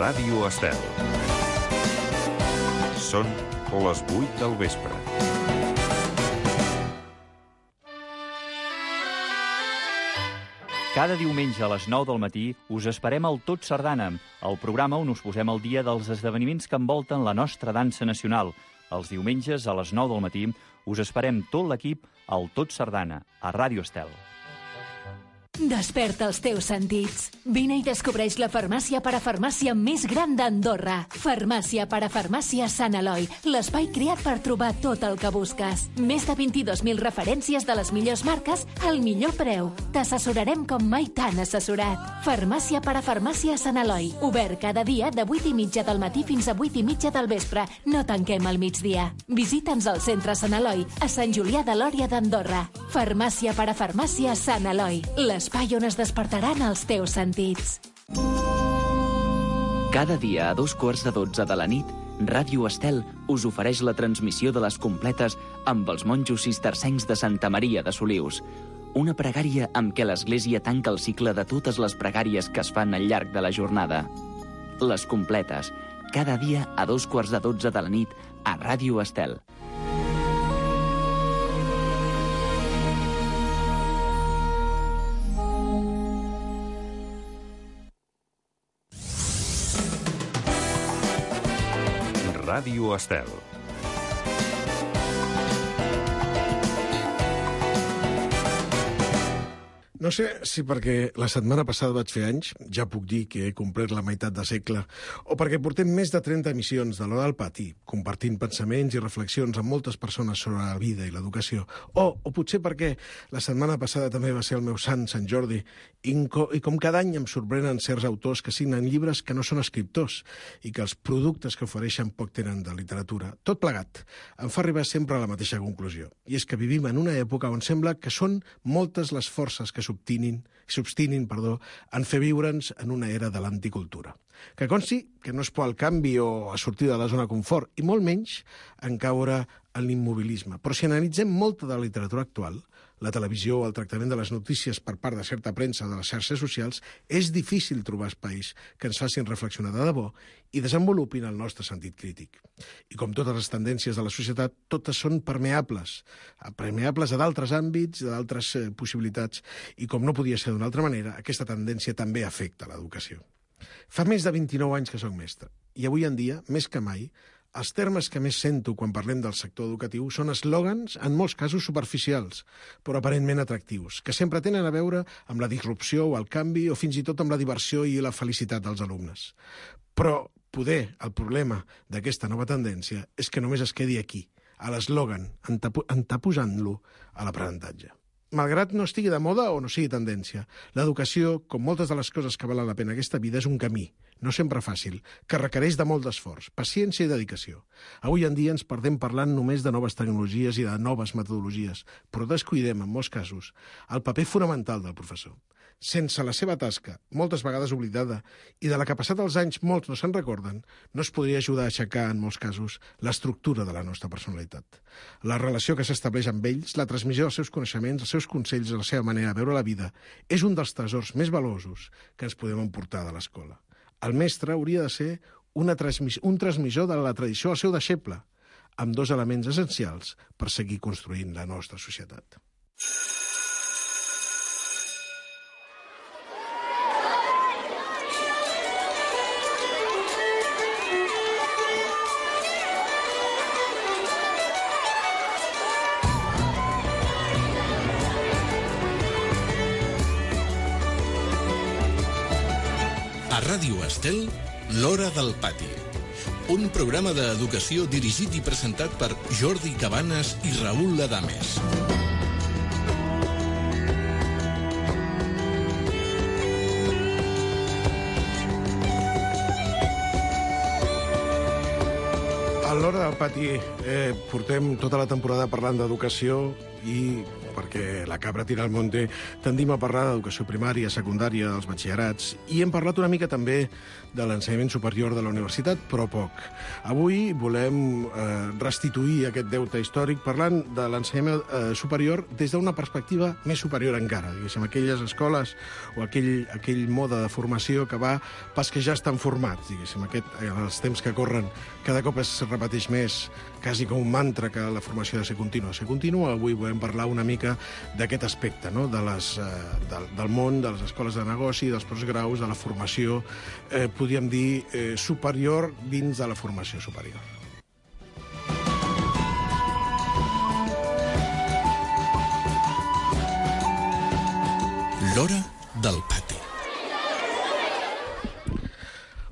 Ràdio Estel. Són les 8 del vespre. Cada diumenge a les 9 del matí us esperem al Tot Sardana, el programa on us posem al dia dels esdeveniments que envolten la nostra dansa nacional. Els diumenges a les 9 del matí us esperem tot l'equip al Tot Sardana, a Ràdio Estel. Desperta els teus sentits. Vine i descobreix la farmàcia parafarmàcia més gran d'Andorra. Farmàcia parafarmàcia Sant Eloi, l'espai creat per trobar tot el que busques. Més de 22.000 referències de les millors marques al millor preu. T'assessorarem com mai t'han assessorat. Farmàcia parafarmàcia Sant Eloi, obert cada dia de 8:30 del matí fins a 8:30 del vespre. No tanquem al migdia. Visita'ns al centre Sant Eloi, a Sant Julià de Lòria d'Andorra. Farmàcia parafarmàcia Sant Eloi, l'espai on es despertaran els teus sentits. Cada dia a 2:15 de la nit, Ràdio Estel us ofereix la transmissió de les completes amb els monjos cistercencs de Santa Maria de Solius. Una pregària amb què l'Església tanca el cicle de totes les pregàries que es fan al llarg de la jornada. Les completes, cada dia a 2:15 de la nit a Ràdio Estel. Ràdio Estel. No sé si perquè la setmana passada vaig fer anys, ja puc dir que he complert la meitat de segle, o perquè portem més de 30 emissions de l'Hora del Pati, compartint pensaments i reflexions amb moltes persones sobre la vida i l'educació, o potser perquè la setmana passada també va ser el meu sant Jordi, i com cada any em sorprenen certs autors que signen llibres que no són escriptors i que els productes que ofereixen poc tenen de literatura. Tot plegat em fa arribar sempre a la mateixa conclusió, i és que vivim en una època on sembla que són moltes les forces que s'obstinin en fer viure'ns en una era de l'anticultura. Que consti que no és por al canvi o a sortir de la zona de confort, i molt menys en caure en l'immobilisme. Però si analitzem molta de la literatura actual, la televisió o el tractament de les notícies per part de certa premsa de les xarxes socials, és difícil trobar espais que ens facin reflexionar de debò i desenvolupin el nostre sentit crític. I com totes les tendències de la societat, totes són permeables a d'altres àmbits, d'altres possibilitats, i com no podia ser d'una altra manera, aquesta tendència també afecta l'educació. Fa més de 29 anys que soc mestre, i avui en dia, més que mai, els termes que més sento quan parlem del sector educatiu són eslògans, en molts casos superficials, però aparentment atractius, que sempre tenen a veure amb la disrupció o el canvi o fins i tot amb la diversió i la felicitat dels alumnes. Però poder el problema d'aquesta nova tendència és que només es quedi aquí, a l'eslògan, anteposant-lo a l'aprenentatge. Malgrat no estigui de moda o no sigui tendència, l'educació, com moltes de les coses que valen la pena aquesta vida, és un camí, no sempre fàcil, que requereix de molt d'esforç, paciència i dedicació. Avui en dia ens perdem parlant només de noves tecnologies i de noves metodologies, però descuidem, en molts casos, el paper fonamental del professor. Sense la seva tasca, moltes vegades oblidada, i de la que passat els anys molts no se'n recorden, no es podria ajudar a aixecar, en molts casos, l'estructura de la nostra personalitat. La relació que s'estableix amb ells, la transmissió dels seus coneixements, els seus consells i la seva manera de veure la vida, és un dels tresors més valuosos que ens podem emportar de l'escola. El mestre hauria de ser un transmissor de la tradició al seu deixeble, amb dos elements essencials per seguir construint la nostra societat. A Ràdio Estel, l'Hora del Pati. Un programa d'educació dirigit i presentat per Jordi Cabanes i Raül Adames. A l'Hora del Pati portem tota la temporada parlant d'educació i perquè la cabra tira al monte, tendim a parlar d'educació primària, secundària, dels batxillerats, i hem parlat una mica també de l'ensenyament superior de la universitat, però poc. Avui volem restituir aquest deute històric parlant de l'ensenyament superior des d'una perspectiva més superior encara, diguéssim, aquelles escoles o aquell mode de formació que va pas que ja estan formats, diguéssim, els temps que corren cada cop es repeteix més, quasi com un mantra que la formació ha de ser contínua. Avui volem parlar una mica d'aquest aspecte, no? Del món, de les escoles de negoci, dels postgraus, de la formació, podríem dir, superior dins de la formació superior. L'hora del pati.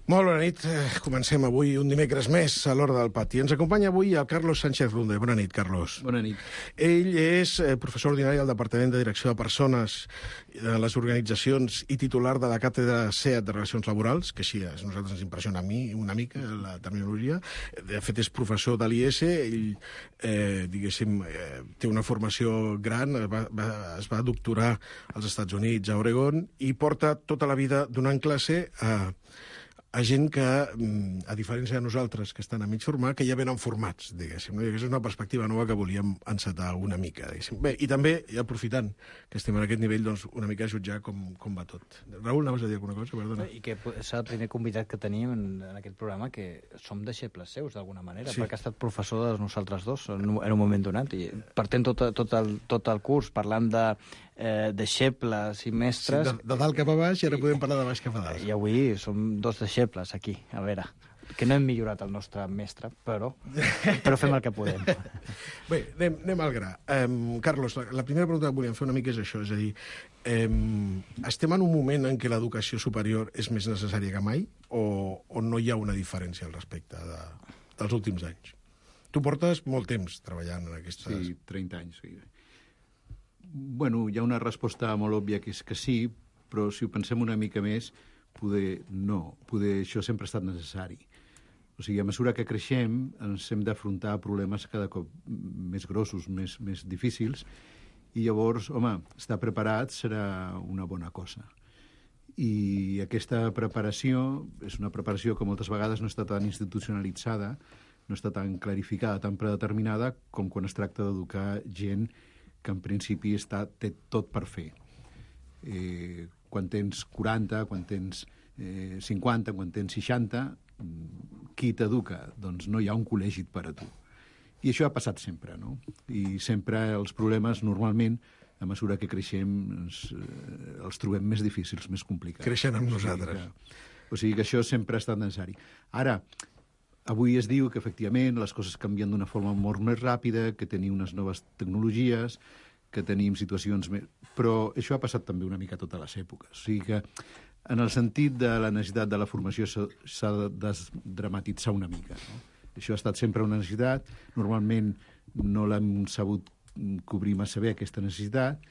Molt bona nit. Comencem avui un dimecres més a l'Hora del Pati. Ens acompanya avui el Carlos Sánchez Runde. Bona nit, Carlos. Bona nit. Ell és professor ordinari al Departament de Direcció de Persones de les Organitzacions i titular de la càtedra SEAT de Relacions Laborals, que així a nosaltres ens impressiona a mi una mica la terminologia. De fet, és professor de l'IES. Ell, diguéssim, té una formació gran, es va doctorar als Estats Units, a Oregon, i porta tota la vida donant classe a gent que, a diferència de nosaltres, que estan a mig formar, que ja venen formats, diguéssim. No? I aquesta és una perspectiva nova que volíem encetar una mica, diguéssim. Bé, i també, i aprofitant que estem en aquest nivell, doncs, una mica jutjar com va tot. Raül, anaves a dir alguna cosa? Perdona. I que és el primer convidat que tenim en aquest programa que som deixebles seus, d'alguna manera, sí, perquè ha estat professor de nosaltres dos en un moment donat. I partent tot el curs parlant de deixebles i mestres... Sí, de dalt cap a baix, i ara podem parlar de baix cap a dalt. I avui som dos deixebles aquí, a veure, que no hem millorat el nostre mestre, però fem el que podem. Bé, anem al gra. Carlos, la primera pregunta que volíem fer una mica és això, és a dir, estem en un moment en què l'educació superior és més necessària que mai o no hi ha una diferència al respecte dels últims anys? Tu portes molt temps treballant en aquestes... Sí, 30 anys, sí. Bueno, hi ha una resposta molt òbvia que és que sí, però si ho pensem una mica més, poder això sempre ha estat necessari. O sigui, a mesura que creixem ens hem d'afrontar problemes cada cop més grossos, més difícils, i llavors, home, estar preparat serà una bona cosa. I aquesta preparació és una preparació que moltes vegades no està tan institucionalitzada, no està tan clarificada, tan predeterminada, com quan es tracta d'educar gent que en principi té tot per fer. Quan tens 40, quan tens 50, quan tens 60, qui t'educa? Doncs no hi ha un col·legi per a tu. I això ha passat sempre, no? I sempre els problemes, normalment, a mesura que creixem, els trobem més difícils, més complicats. Creixen amb nosaltres. O sigui que això sempre ha estat necessari. Ara, avui es diu que, efectivament, les coses canvien d'una forma molt més ràpida, que tenim unes noves tecnologies, que tenim situacions més... Però això ha passat també una mica a totes les èpoques. O sigui que, en el sentit de la necessitat de la formació, s'ha de desdramatitzar una mica. No? Això ha estat sempre una necessitat. Normalment no l'hem sabut cobrir massa bé, aquesta necessitat,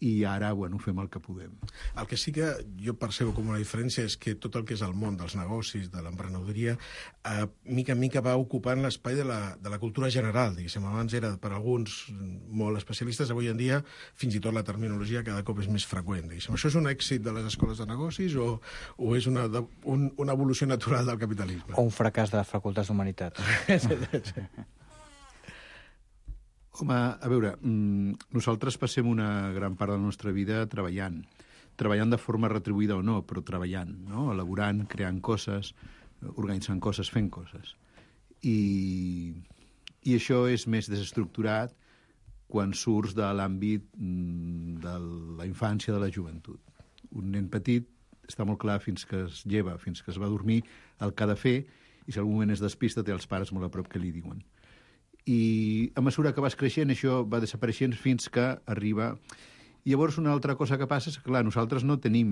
i ara, bueno, fem el que podem. El que sí que jo percebo com una diferència és que tot el que és el món dels negocis, de l'emprenedoria, mica en mica va ocupant l'espai de la cultura general, diguéssim. Abans era per alguns molt especialistes, avui en dia fins i tot la terminologia cada cop és més freqüent, diguéssim. Això és un èxit de les escoles de negocis o és una evolució natural del capitalisme? O un fracàs de les facultats d'humanitats. Home, a veure, nosaltres passem una gran part de la nostra vida treballant de forma retribuïda o no, però treballant, no? Elaborant, creant coses, organitzant coses, fent coses. I això és més desestructurat quan surts de l'àmbit de la infància, de la joventut. Un nen petit està molt clar fins que es lleva, fins que es va dormir, el que ha de fer, i si en algun moment es despista té els pares molt a prop que li diuen. I a mesura que vas creixent això va desapareixent fins que arriba... I llavors una altra cosa que passa és que, clar, nosaltres no tenim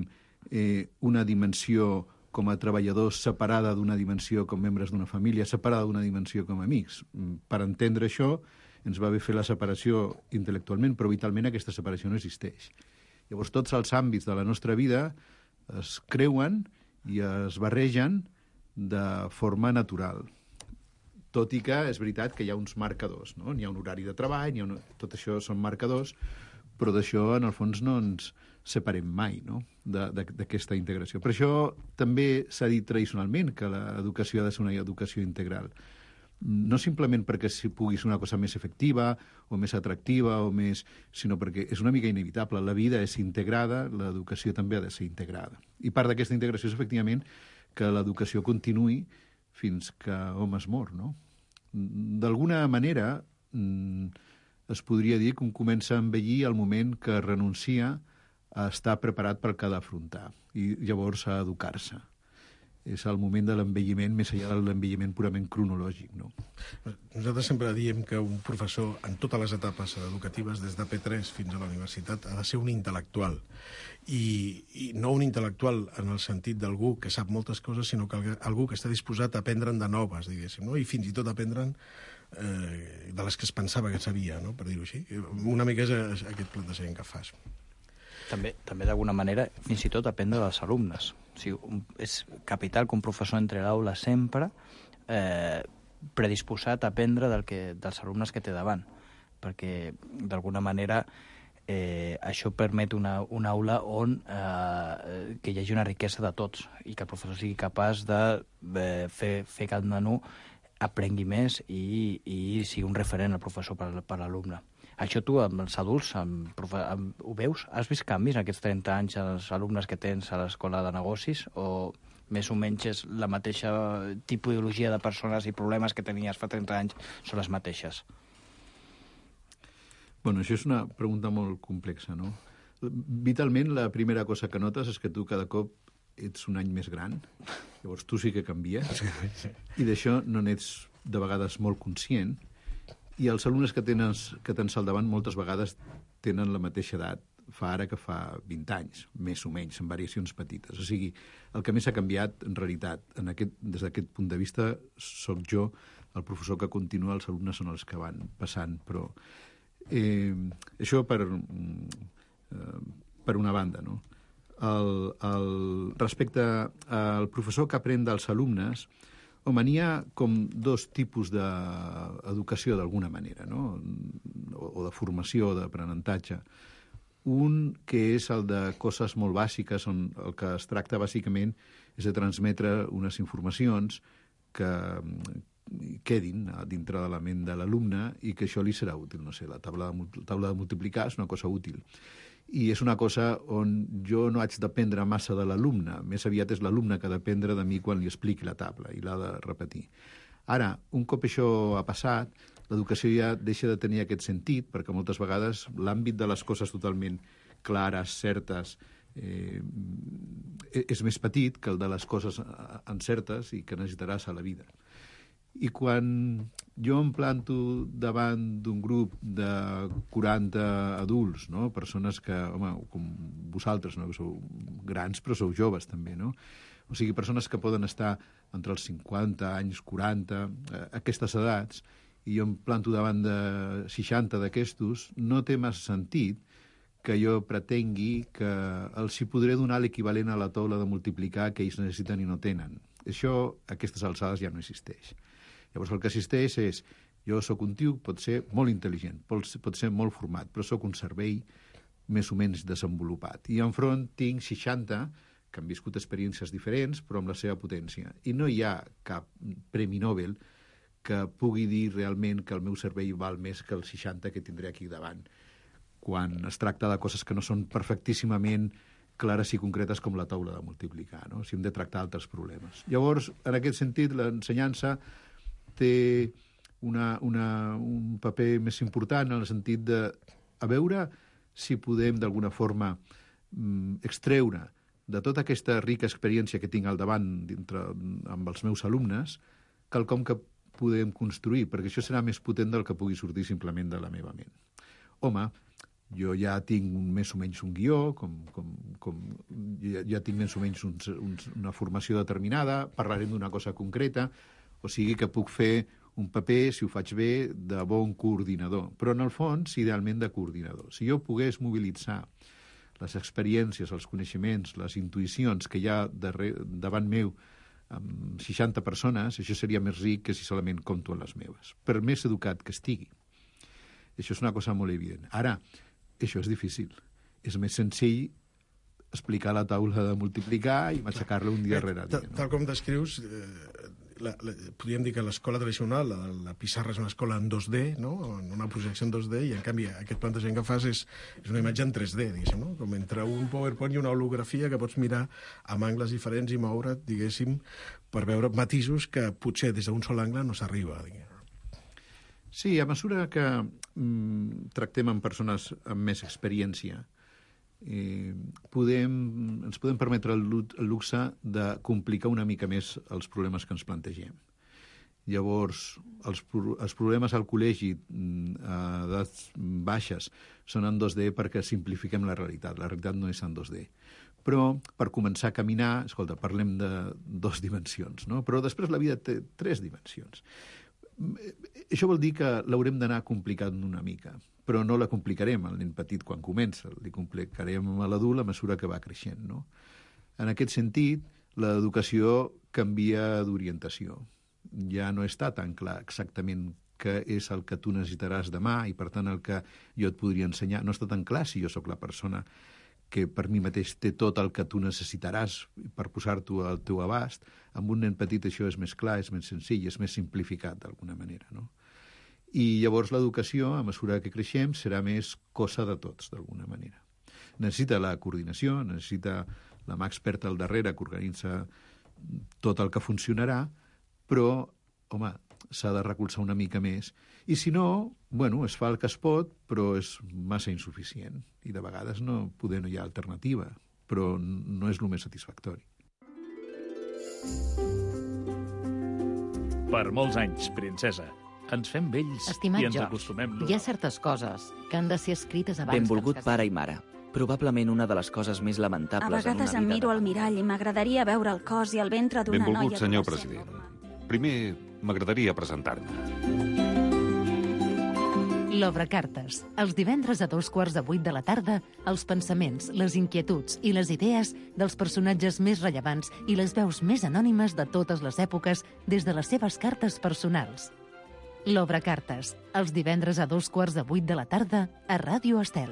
una dimensió com a treballadors separada d'una dimensió com membres d'una família, separada d'una dimensió com a amics. Per entendre això ens va bé fer la separació intel·lectualment, però vitalment aquesta separació no existeix. Llavors tots els àmbits de la nostra vida es creuen i es barregen de forma natural. Tot i que és veritat que hi ha uns marcadors, no? N'hi ha un horari de treball, tot això són marcadors, però d'això, en el fons, no ens separem mai, no?, d'aquesta integració. Per això també s'ha dit tradicionalment que l'educació ha de ser una educació integral. No simplement perquè pugui ser una cosa més efectiva o més atractiva, sinó perquè és una mica inevitable. La vida és integrada, l'educació també ha de ser integrada. I part d'aquesta integració és, efectivament, que l'educació continuï fins que hom es mor, no? D'alguna manera, es podria dir que un comença a envellir al moment que renuncia a estar preparat per què ha d'afrontar i llavors a educar-se. És el moment de l'envelliment, més enllà de l'envelliment purament cronològic, no? Nosaltres sempre diem que un professor, en totes les etapes educatives, des de P3 fins a la universitat, ha de ser un intel·lectual. I no un intel·lectual en el sentit d'algú que sap moltes coses, sinó que algú que està disposat a aprendre'n de noves, diguéssim, no? I fins i tot aprendre'n de les que es pensava que sabia, no?, per dir-ho així. Una mica és aquest plantejament que fas. També d'alguna manera, fins i tot aprendre dels alumnes. O sigui, és capital que un professor entre a l'aula sempre predisposat a aprendre dels alumnes que té davant, perquè d'alguna manera això permet una aula on que hi hagi una riquesa de tots i que el professor sigui capaç de fer que el nano aprengui més i sigui un referent el professor per l'alumne. Això tu, amb els adults, ho veus? Has vist canvis en aquests 30 anys als alumnes que tens a l'escola de negocis? O més o menys és la mateixa tipologia de persones i problemes que tenies fa 30 anys són les mateixes? Bueno, això és una pregunta molt complexa, no? Vitalment, la primera cosa que notes és que tu cada cop ets un any més gran, llavors tu sí que canvies, i d'això no n'ets de vegades molt conscient, i els alumnes que tens al davant moltes vegades tenen la mateixa edat ara que fa 20 anys, més o menys, amb variacions petites. O sigui, el que més ha canviat, en realitat, des d'aquest punt de vista, sóc jo, el professor que continua, els alumnes són els que van passant, però això per una banda, no? Respecte al professor que aprèn dels alumnes, n'hi ha com dos tipus d'educació, d'alguna manera, no?, o de formació, d'aprenentatge. Un que és el de coses molt bàsiques, on el que es tracta bàsicament és de transmetre unes informacions que quedin dintre de la ment de l'alumne i que això li serà útil. No sé, la taula de multiplicar és una cosa útil. I és una cosa on jo no haig d'aprendre massa de l'alumne, més aviat és l'alumne que ha d'aprendre de mi quan li expliqui la taula i l'ha de repetir. Ara, un cop això ha passat, l'educació ja deixa de tenir aquest sentit, perquè moltes vegades l'àmbit de les coses totalment clares, certes, és més petit que el de les coses encertes i que necessitaràs a la vida. I quan jo em planto davant d'un grup de 40 adults, no?, persones que, home, com vosaltres, no?, que sou grans però sou joves també, no?, o sigui, persones que poden estar entre els 50 anys, 40, aquestes edats, i jo em planto davant de 60 d'aquestos, no té massa sentit que jo pretengui que els hi podré donar l'equivalent a la taula de multiplicar que ells necessiten i no tenen. Això, a aquestes alçades, ja no existeix. Llavors, el que existeix és, jo sóc un tio, pot ser molt intel·ligent, pot ser molt format, però sóc un cervell més o menys desenvolupat. I enfront tinc 60 que han viscut experiències diferents, però amb la seva potència. I no hi ha cap premi Nobel que pugui dir realment que el meu cervell val més que els 60 que tindré aquí davant, quan es tracta de coses que no són perfectíssimament clares i concretes com la taula de multiplicar, no? Si hem de tractar altres problemes. Llavors, en aquest sentit, l'ensenyança té un paper més important en el sentit de a veure si podem d'alguna forma extreure de tota aquesta rica experiència que tinc al davant amb els meus alumnes quelcom que podem construir, perquè això serà més potent del que pugui sortir simplement de la meva ment. Home, jo ja tinc més o menys un guió, ja tinc més o menys una formació determinada, parlarem d'una cosa concreta, o sigui que puc fer un paper, si ho faig bé, de bon coordinador. Però en el fons, idealment de coordinador. Si jo pogués mobilitzar les experiències, els coneixements, les intuïcions que hi ha davant meu amb 60 persones, això seria més ric que si solament compto en les meves, per més educat que estigui. Això és una cosa molt evident. Ara, això és difícil. És més senzill explicar la taula de multiplicar i matxacar-la un dia rere dia. Tal com descrius, podríem dir que l'escola tradicional, la pissarra és una escola en 2D, no? En una projecció en 2D, i en canvi aquest plantejament que fas és una imatge en 3D, diguéssim, no? Com entre un PowerPoint i una holografia que pots mirar amb angles diferents i moure't, diguéssim, per veure matisos que potser des d'un sol angle no s'arriba. Sí, a mesura que tractem amb persones amb més experiència, ens podem permetre el luxe de complicar una mica més els problemes que ens plantegem. Llavors, els problemes al col·legi a edats baixes són en 2D perquè simplifiquem la realitat. La realitat no és en 2D. Però, per començar a caminar, escolta, parlem de 2 dimensions, no? Però després la vida té 3 dimensions. Això vol dir que l'haurem d'anar complicant una mica, però no la complicarem al nen petit quan comença, li complicarem a l'adult a mesura que va creixent, no? En aquest sentit, l'educació canvia d'orientació. Ja no està tan clar exactament què és el que tu necessitaràs demà i, per tant, el que jo et podria ensenyar. No està tan clar si jo sóc la persona que per mi mateix té tot el que tu necessitaràs per posar-t'ho al teu abast. Amb un nen petit això és més clar, és més senzill, és més simplificat d'alguna manera, no? I llavors l'educació, a mesura que creixem, serà més cosa de tots, d'alguna manera. Necessita la coordinació, necessita la mà experta al darrere que organitza tot el que funcionarà, però, home, s'ha de recolzar una mica més. I si no, bueno, es fa el que es pot, però és massa insuficient. I de vegades no hi ha alternativa, però no és el més satisfactori. Per molts anys, princesa. Ens fem vells Estimat i ens George, acostumem. hi ha certes coses que han de ser escrites abans Benvolgut que ens pare i mare. Probablement una de les coses més lamentables A vegades en em una miro vida. al mirall i m'agradaria veure el cos i el ventre d'una noia... Benvolgut, senyor adolescent president. normal. Primer, m'agradaria presentar-me. L'Obra Cartes. Els divendres a 7:15 de la tarda, els pensaments, les inquietuds i les idees dels personatges més rellevants i les veus més anònimes de totes les èpoques des de les seves cartes personals. L'Obra Cartes. Els divendres a 7:15 de la tarda a Ràdio Estel.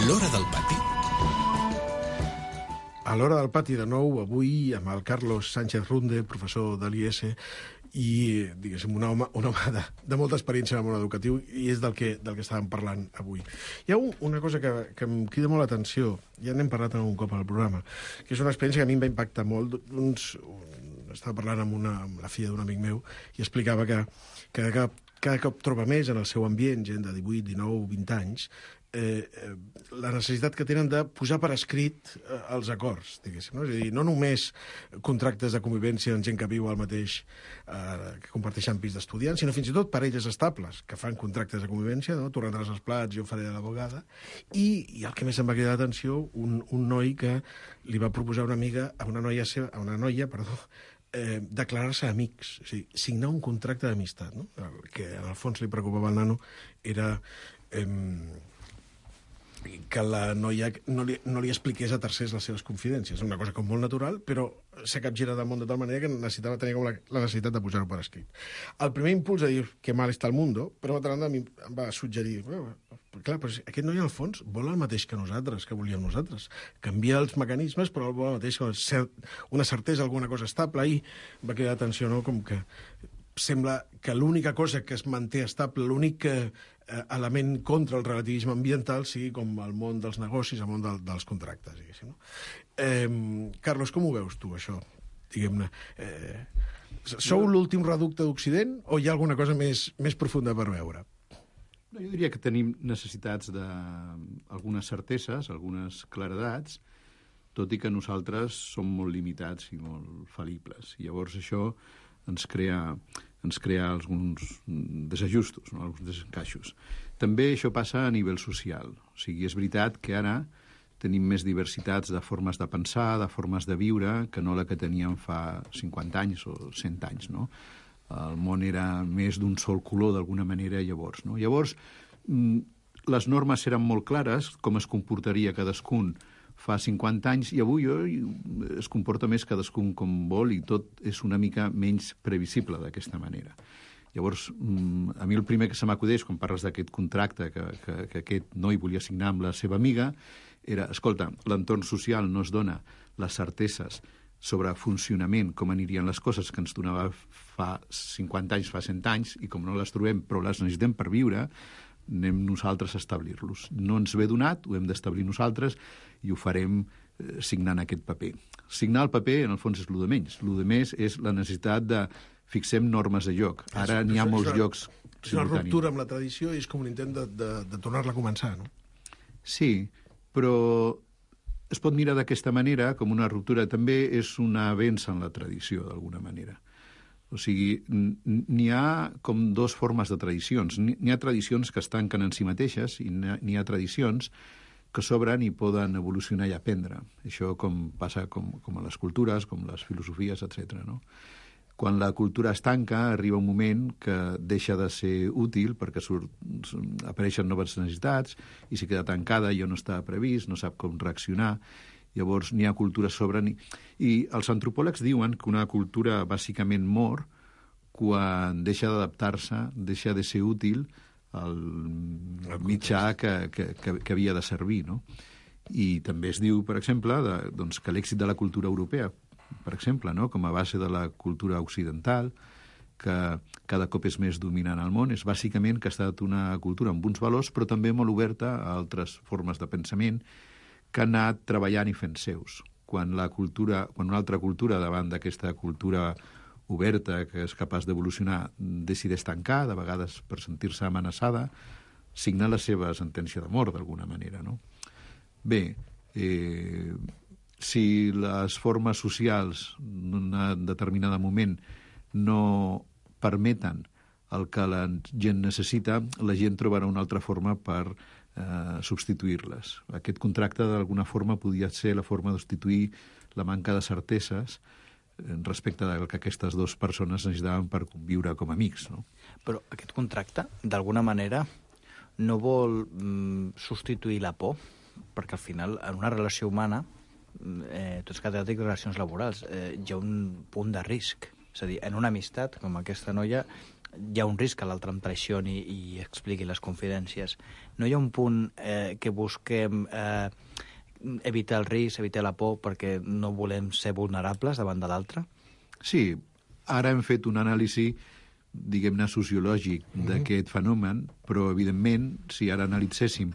L'Hora del Pati. A l'Hora del Pati, de nou, avui amb el Carlos Sánchez Runde, professor de l'IES, i, diguéssim, un home de molta experiència en el món educatiu, i és del que estàvem parlant avui. Hi ha una cosa que em crida molt l'atenció, ja n'hem parlat un cop al programa, que és una experiència que a mi em va impactar molt. Estava parlant amb la filla d'un amic meu i explicava que cada cop troba més en el seu ambient gent de 18, 19, 20 anys la necessitat que tenen de posar per escrit els acords, diguéssim, no? És a dir, no només contractes de convivència amb gent que viu al mateix, que comparteixen pis d'estudiants, sinó fins i tot parelles estables que fan contractes de convivència, no? Tu rentaràs els plats, jo faré de l'abogada, i el que més em va cridar l'atenció, un noi que li va proposar a una noia, declarar-se amics, o sigui, signar un contracte d'amistat, no? El que en el fons li preocupava al nano era que la noia no li expliqués a tercers les seves confidències. Una cosa com molt natural, però s'ha capgirat del món de tal manera que necessitava tenir com la necessitat de posar-ho per escrit. El primer impuls de dir que mal està el mundo, però d'altra banda em va suggerir, clar, però aquest noi al fons vol el mateix que nosaltres, que volíem nosaltres. Canvia els mecanismes, però vol el mateix que una certesa, alguna cosa estable, i va cridar atenció, no?, com que sembla que l'única cosa que es manté estable, l'únic element contra el relativisme ambiental sigui com el món dels negocis, el món dels contractes, diguéssim, no? Carlos, com ho veus tu, això? Diguem-ne, sou l'últim reducte d'Occident o hi ha alguna cosa més profunda per veure? No, jo diria que tenim necessitats d'algunes certeses, algunes claredats, tot i que nosaltres som molt limitats i molt fal·libles. I llavors això ens crea alguns desajustos, no? Alguns desencaixos. També això passa a nivell social. O sigui, és veritat que ara tenim més diversitats de formes de pensar, de formes de viure, que no la que teníem fa 50 anys o 100 anys, no? El món era més d'un sol color, d'alguna manera, llavors, no? Llavors, les normes eren molt clares, com es comportaria cadascun fa 50 anys, i avui es comporta més cadascun com vol i tot és una mica menys previsible d'aquesta manera. Llavors, a mi el primer que se m'acudeix quan parles d'aquest contracte que aquest noi volia signar amb la seva amiga era, escolta, l'entorn social no es dona les certeses sobre funcionament, com anirien les coses que ens donava fa 50 anys, fa 100 anys, i com no les trobem però les necessitem per viure, anem nosaltres a establir-los. No ens ve donat, ho hem d'establir nosaltres i ho farem signant aquest paper. Signar el paper, en el fons, és el de menys. El de més és la necessitat de fixem normes de joc. Ara n'hi ha molts llocs simultanis. És una ruptura amb la tradició i és com un intent de tornar-la a començar, no? Sí, però es pot mirar d'aquesta manera, com una ruptura. També és una avenç en la tradició, d'alguna manera. O sigui, n'hi ha com dues formes de tradicions. N'hi ha tradicions que es tanquen en si mateixes i n'hi ha tradicions que s'obren i poden evolucionar i aprendre. Això com passa com a les cultures, com les filosofies, etc. No? Quan la cultura es tanca, arriba un moment que deixa de ser útil perquè apareixen noves necessitats i si queda tancada ja no està previst, no sap com reaccionar. Llavors n'hi ha cultures sobren. I els antropòlegs diuen que una cultura bàsicament mor quan deixa d'adaptar-se, deixa de ser útil al mitjà que havia de servir. No? I també es diu, per exemple, que l'èxit de la cultura europea, per exemple, no? Com a base de la cultura occidental, que cada cop és més dominant al món, és bàsicament que ha estat una cultura amb uns valors, però també molt oberta a altres formes de pensament, que ha anat treballant i fent seus. Quan una altra cultura, davant d'aquesta cultura oberta, que és capaç d'evolucionar, decideix tancar, de vegades per sentir-se amenaçada, signa la seva sentència de mort, d'alguna manera. No? Bé, si les formes socials en un determinat moment no permeten el que la gent necessita, la gent trobarà una altra forma per substituir-les. Aquest contracte, d'alguna forma, podia ser la forma de substituir la manca de certeses respecte del que aquestes dues persones necessitaven per conviure com a amics. No? Però aquest contracte, d'alguna manera, no vol substituir la por, perquè al final, en una relació humana, tots catedràtics de relacions laborals, hi ha un punt de risc. És a dir, en una amistat, com aquesta noia, hi ha un risc que l'altre em traicioni i expliqui les confidències. No hi ha un punt que busquem evitar el risc, evitar la por, perquè no volem ser vulnerables davant de l'altre? Sí, ara hem fet un anàlisi, diguem-ne, sociològic d'aquest fenomen, però, evidentment, si ara analitzéssim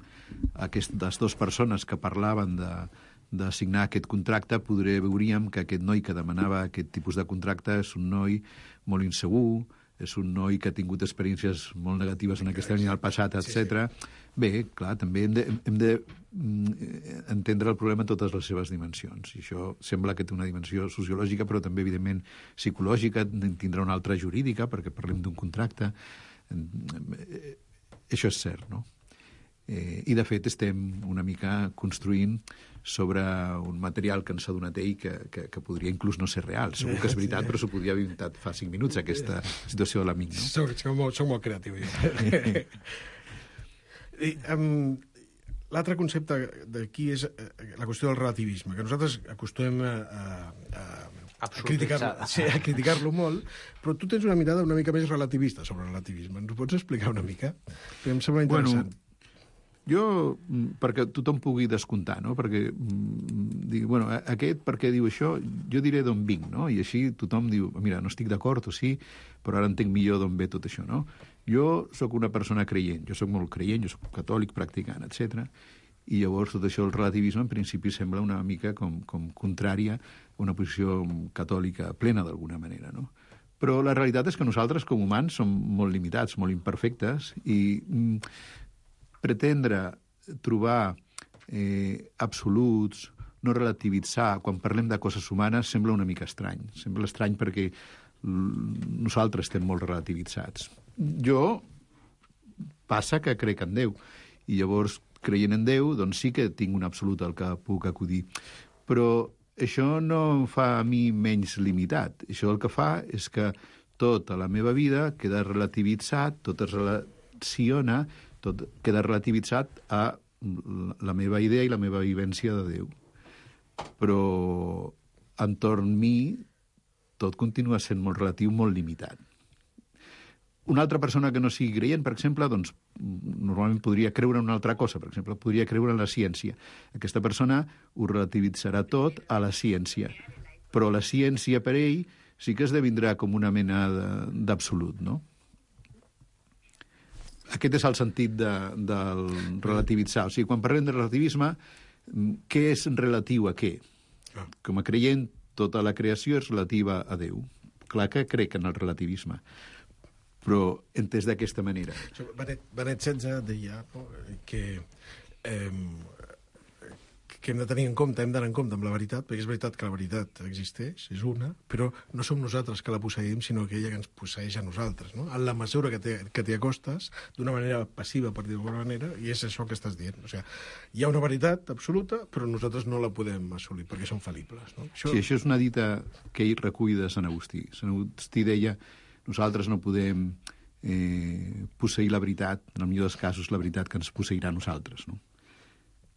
aquestes dues persones que parlaven de signar aquest contracte, veuríem que aquest noi que demanava aquest tipus de contracte és un noi molt insegur, és un noi que ha tingut experiències molt negatives en aquesta línia del passat, etc. Bé, clar, també hem d'entendre el problema en totes les seves dimensions. I això sembla que té una dimensió sociològica, però també, evidentment, psicològica, tindrà una altra jurídica, perquè parlem d'un contracte. Això és cert, no? I, de fet, estem una mica construint sobre un material que ens ha donat ell que podria inclús no ser real. Segur que és veritat, però s'ho podria haver inventat fa 5 minuts, aquesta situació de l'amic. No? Soc molt creatiu, L'altre concepte d'aquí és la qüestió del relativisme, que nosaltres acostumem a criticar-lo molt, però tu tens una mirada una mica més relativista sobre el relativisme. Ens ho pots explicar una mica? Em sembla interessant. Jo, perquè tothom pugui descomptar, no? Perquè, aquest per què diu això, jo diré d'on vinc, no? I així tothom diu, mira, no estic d'acord o sí, però ara entenc millor d'on ve tot això, no? Jo sóc una persona creient, jo sóc molt creient, jo sóc catòlic, practicant, etc. I llavors tot això, el relativisme, en principi sembla una mica com contrària a una posició catòlica plena, d'alguna manera, no? Però la realitat és que nosaltres, com humans, som molt limitats, molt imperfectes, i pretendre trobar absoluts, no relativitzar, quan parlem de coses humanes, sembla una mica estrany. Sembla estrany perquè nosaltres estem molt relativitzats. Jo passa que crec en Déu, i llavors, creient en Déu, doncs sí que tinc un absolut al que puc acudir. Però això no em fa a mi menys limitat. Això el que fa és que tota la meva vida queda relativitzat, tot es relaciona, tot queda relativitzat a la meva idea i la meva vivència de Déu. però entorn mi tot continua sent molt relatiu, molt limitat. Una altra persona que no sigui creient, per exemple, doncs, normalment podria creure en una altra cosa. Per exemple, podria creure en la ciència. Aquesta persona ho relativitzarà tot a la ciència. Però la ciència, per ell, sí que esdevindrà com una mena d'absolut, no? Aquest és el sentit del relativitzar. O sigui, quan parlem de relativisme, què és relatiu a què? Com a creient, tota la creació és relativa a Déu. Clar que crec en el relativisme, però entès d'aquesta manera. Benet XVI deia que hem de tenir en compte, hem d'anar en compte amb la veritat, perquè és veritat que la veritat existeix, és una, però no som nosaltres que la posseïm, sinó que ella que ens posseeix a nosaltres, no? En la mesura que t'hi acostes, d'una manera passiva, per dir-ho d'alguna manera, i és això que estàs dient. O sigui, hi ha una veritat absoluta, però nosaltres no la podem assolir, perquè som fal·libles, no? Sí, això és una dita que ell recull de Sant Agustí. Sant Agustí deia: nosaltres no podem posseir la veritat, en el millor dels casos, la veritat que ens posseirà a nosaltres, no?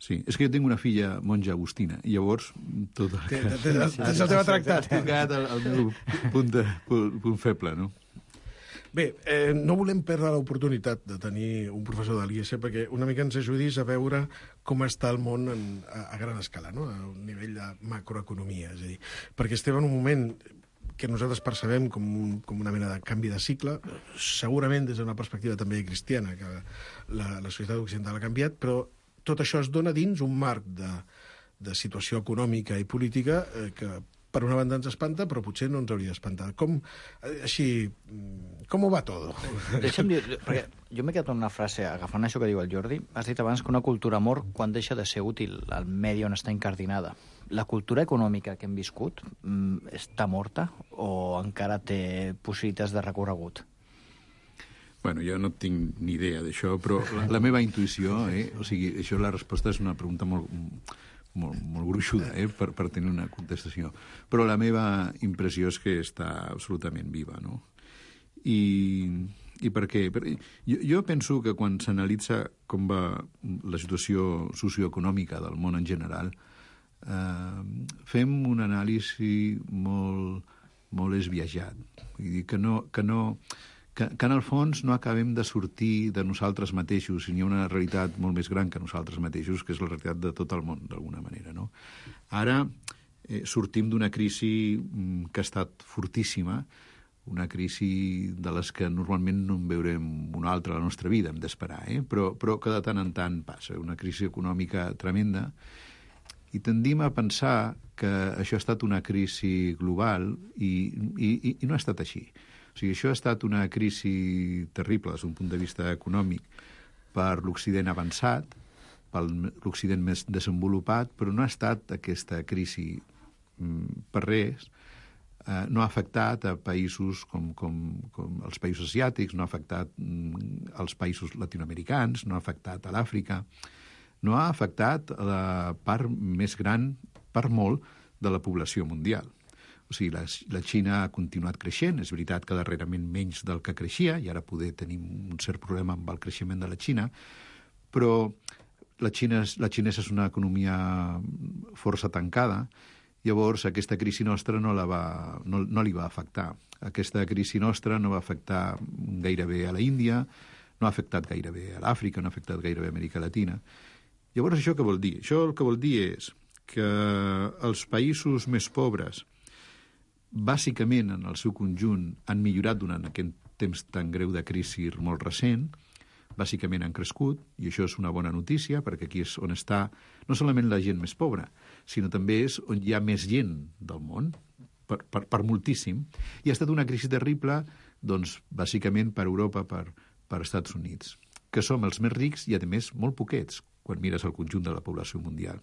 Sí, és que jo tinc una filla monja agustina, i llavors tot el que... Tens el teu tractat. Tocat el meu punt feble, no? Bé, no volem perdre l'oportunitat de tenir un professor de l'IES perquè una mica ens ajudis a veure com està el món a gran escala, no? A un nivell de macroeconomia, és a dir, perquè estem en un moment que nosaltres percebem com una mena de canvi de cicle, segurament des d'una perspectiva també cristiana, que la societat occidental ha canviat, però tot això es dona dins un marc de situació econòmica i política que per una banda ens espanta, però potser no ens hauria d'espantar. Com ho va tot? Deixa'm dir, perquè jo m'he quedat amb una frase, agafant això que diu el Jordi. Has dit abans que una cultura mor quan deixa de ser útil al medi on està incardinada. La cultura econòmica que hem viscut està morta o encara té possibilitats de recorregut? Bueno, jo no tinc ni idea d'això, però la meva intuïció, o sigui, això la resposta és una pregunta molt gruixuda, per tenir una contestació. Però la meva impressió és que està absolutament viva, no? I per què? Jo penso que quan s'analitza com va la situació socioeconòmica del món en general, fem un anàlisi molt esbiaixat. Vull dir que en el fons no acabem de sortir de nosaltres mateixos, i hi ha una realitat molt més gran que nosaltres mateixos, que és la realitat de tot el món, d'alguna manera, no? Ara sortim d'una crisi que ha estat fortíssima, una crisi de les que normalment no en veurem una altra a la nostra vida, hem d'esperar, però que de tant en tant passa, una crisi econòmica tremenda, i tendim a pensar que això ha estat una crisi global i no ha estat així. O sigui, això ha estat una crisi terrible des d'un punt de vista econòmic per l'Occident avançat, per l'Occident més desenvolupat, però no ha estat aquesta crisi per res. No ha afectat a països com els països asiàtics, no ha afectat als països latinoamericans, no ha afectat a l'Àfrica, no ha afectat a la part més gran, per molt, de la població mundial. O sigui, la Xina ha continuat creixent, és veritat que darrerament menys del que creixia, i ara poder tenir un cert problema amb el creixement de la Xina, però la xinesa és una economia força tancada, llavors aquesta crisi nostra no li va afectar. Aquesta crisi nostra no va afectar gairebé a la Índia, no ha afectat gairebé a l'Àfrica, no ha afectat gairebé a Amèrica Latina. Llavors, això què vol dir? Això el que vol dir és que els països més pobres, bàsicament en el seu conjunt, han millorat durant aquest temps tan greu de crisi molt recent, bàsicament han crescut, i això és una bona notícia, perquè aquí és on està no solament la gent més pobra, sinó també és on hi ha més gent del món, per moltíssim, i ha estat una crisi terrible, doncs, bàsicament per Europa, per Estats Units, que som els més rics i, a més, molt poquets, quan mires el conjunt de la població mundial.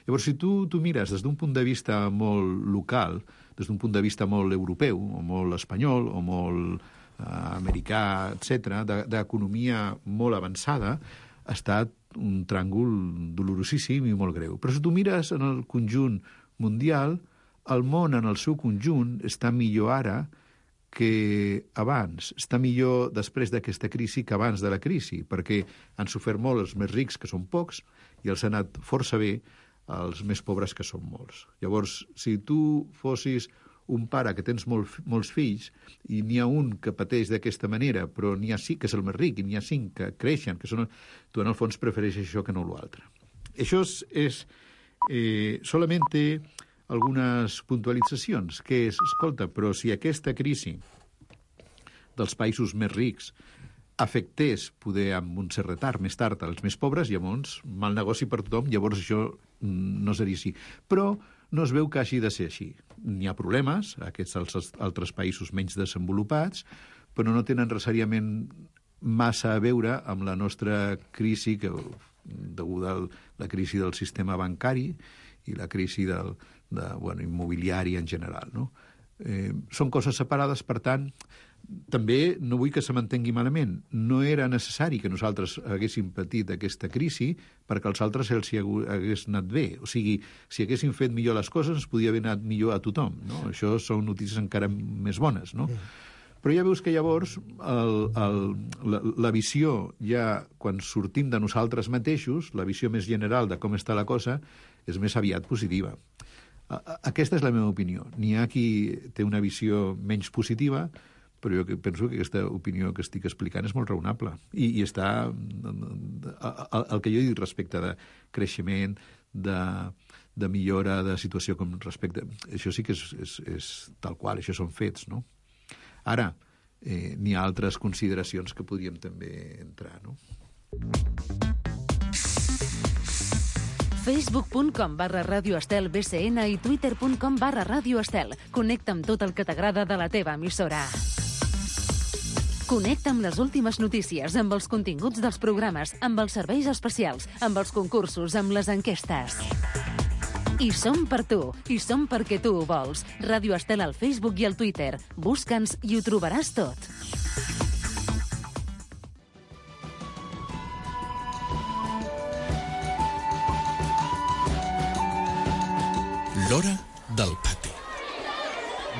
Llavors, si tu mires des d'un punt de vista molt local, des d'un punt de vista molt europeu, o molt espanyol, o molt americà, etc., d'economia molt avançada, ha estat un tràngol dolorosíssim i molt greu. Però si tu mires en el conjunt mundial, el món en el seu conjunt està millor ara que abans, està millor després d'aquesta crisi que abans de la crisi, perquè han sofert molt els més rics, que són pocs, i els ha anat força bé als més pobres, que són molts. Llavors, si tu fossis un pare que tens molts fills i n'hi ha un que pateix d'aquesta manera, però n'hi ha 5 que és el més ric i n'hi ha 5 que creixen, tu en el fons prefereixes això que no l'altre. Això és solament té algunes puntualitzacions, que és, escolta, però si aquesta crisi dels països més rics afectés, poder amb un cert retard més tard als més pobres, llavors mal negoci per tothom, llavors això no seria així. Però no es veu que hagi de ser així. N'hi ha problemes, aquests altres països menys desenvolupats, però no tenen necessàriament massa a veure amb la nostra crisi, deguda a la crisi del sistema bancari i la crisi immobiliari en general. No? Són coses separades, per tant, també no vull que se m'entengui malament. No era necessari que nosaltres haguéssim patit aquesta crisi perquè als altres els hagués anat bé. O sigui, si haguéssim fet millor les coses, ens podia haver anat millor a tothom. No? Això són notícies encara més bones. No? Però ja veus que llavors la visió, ja quan sortim de nosaltres mateixos, la visió més general de com està la cosa, és més aviat positiva. Aquesta és la meva opinió. N'hi ha qui té una visió menys positiva, però jo penso que aquesta opinió que estic explicant és molt raonable. I està el que jo he dit respecte de creixement, de millora de situació com respecte... Això sí que és tal qual, això són fets, no? Ara, n'hi ha altres consideracions que podríem també entrar, no? Facebook.com/Ràdio Estel BCN i Twitter.com/Ràdio Estel. Connecta amb tot el que t'agrada de la teva emissora. Connecta amb les últimes notícies, amb els continguts dels programes, amb els serveis especials, amb els concursos, amb les enquestes. I som per tu, i som perquè tu ho vols. Ràdio Estel al Facebook i al Twitter. Busca'ns i ho trobaràs tot. L'Hora del Pati.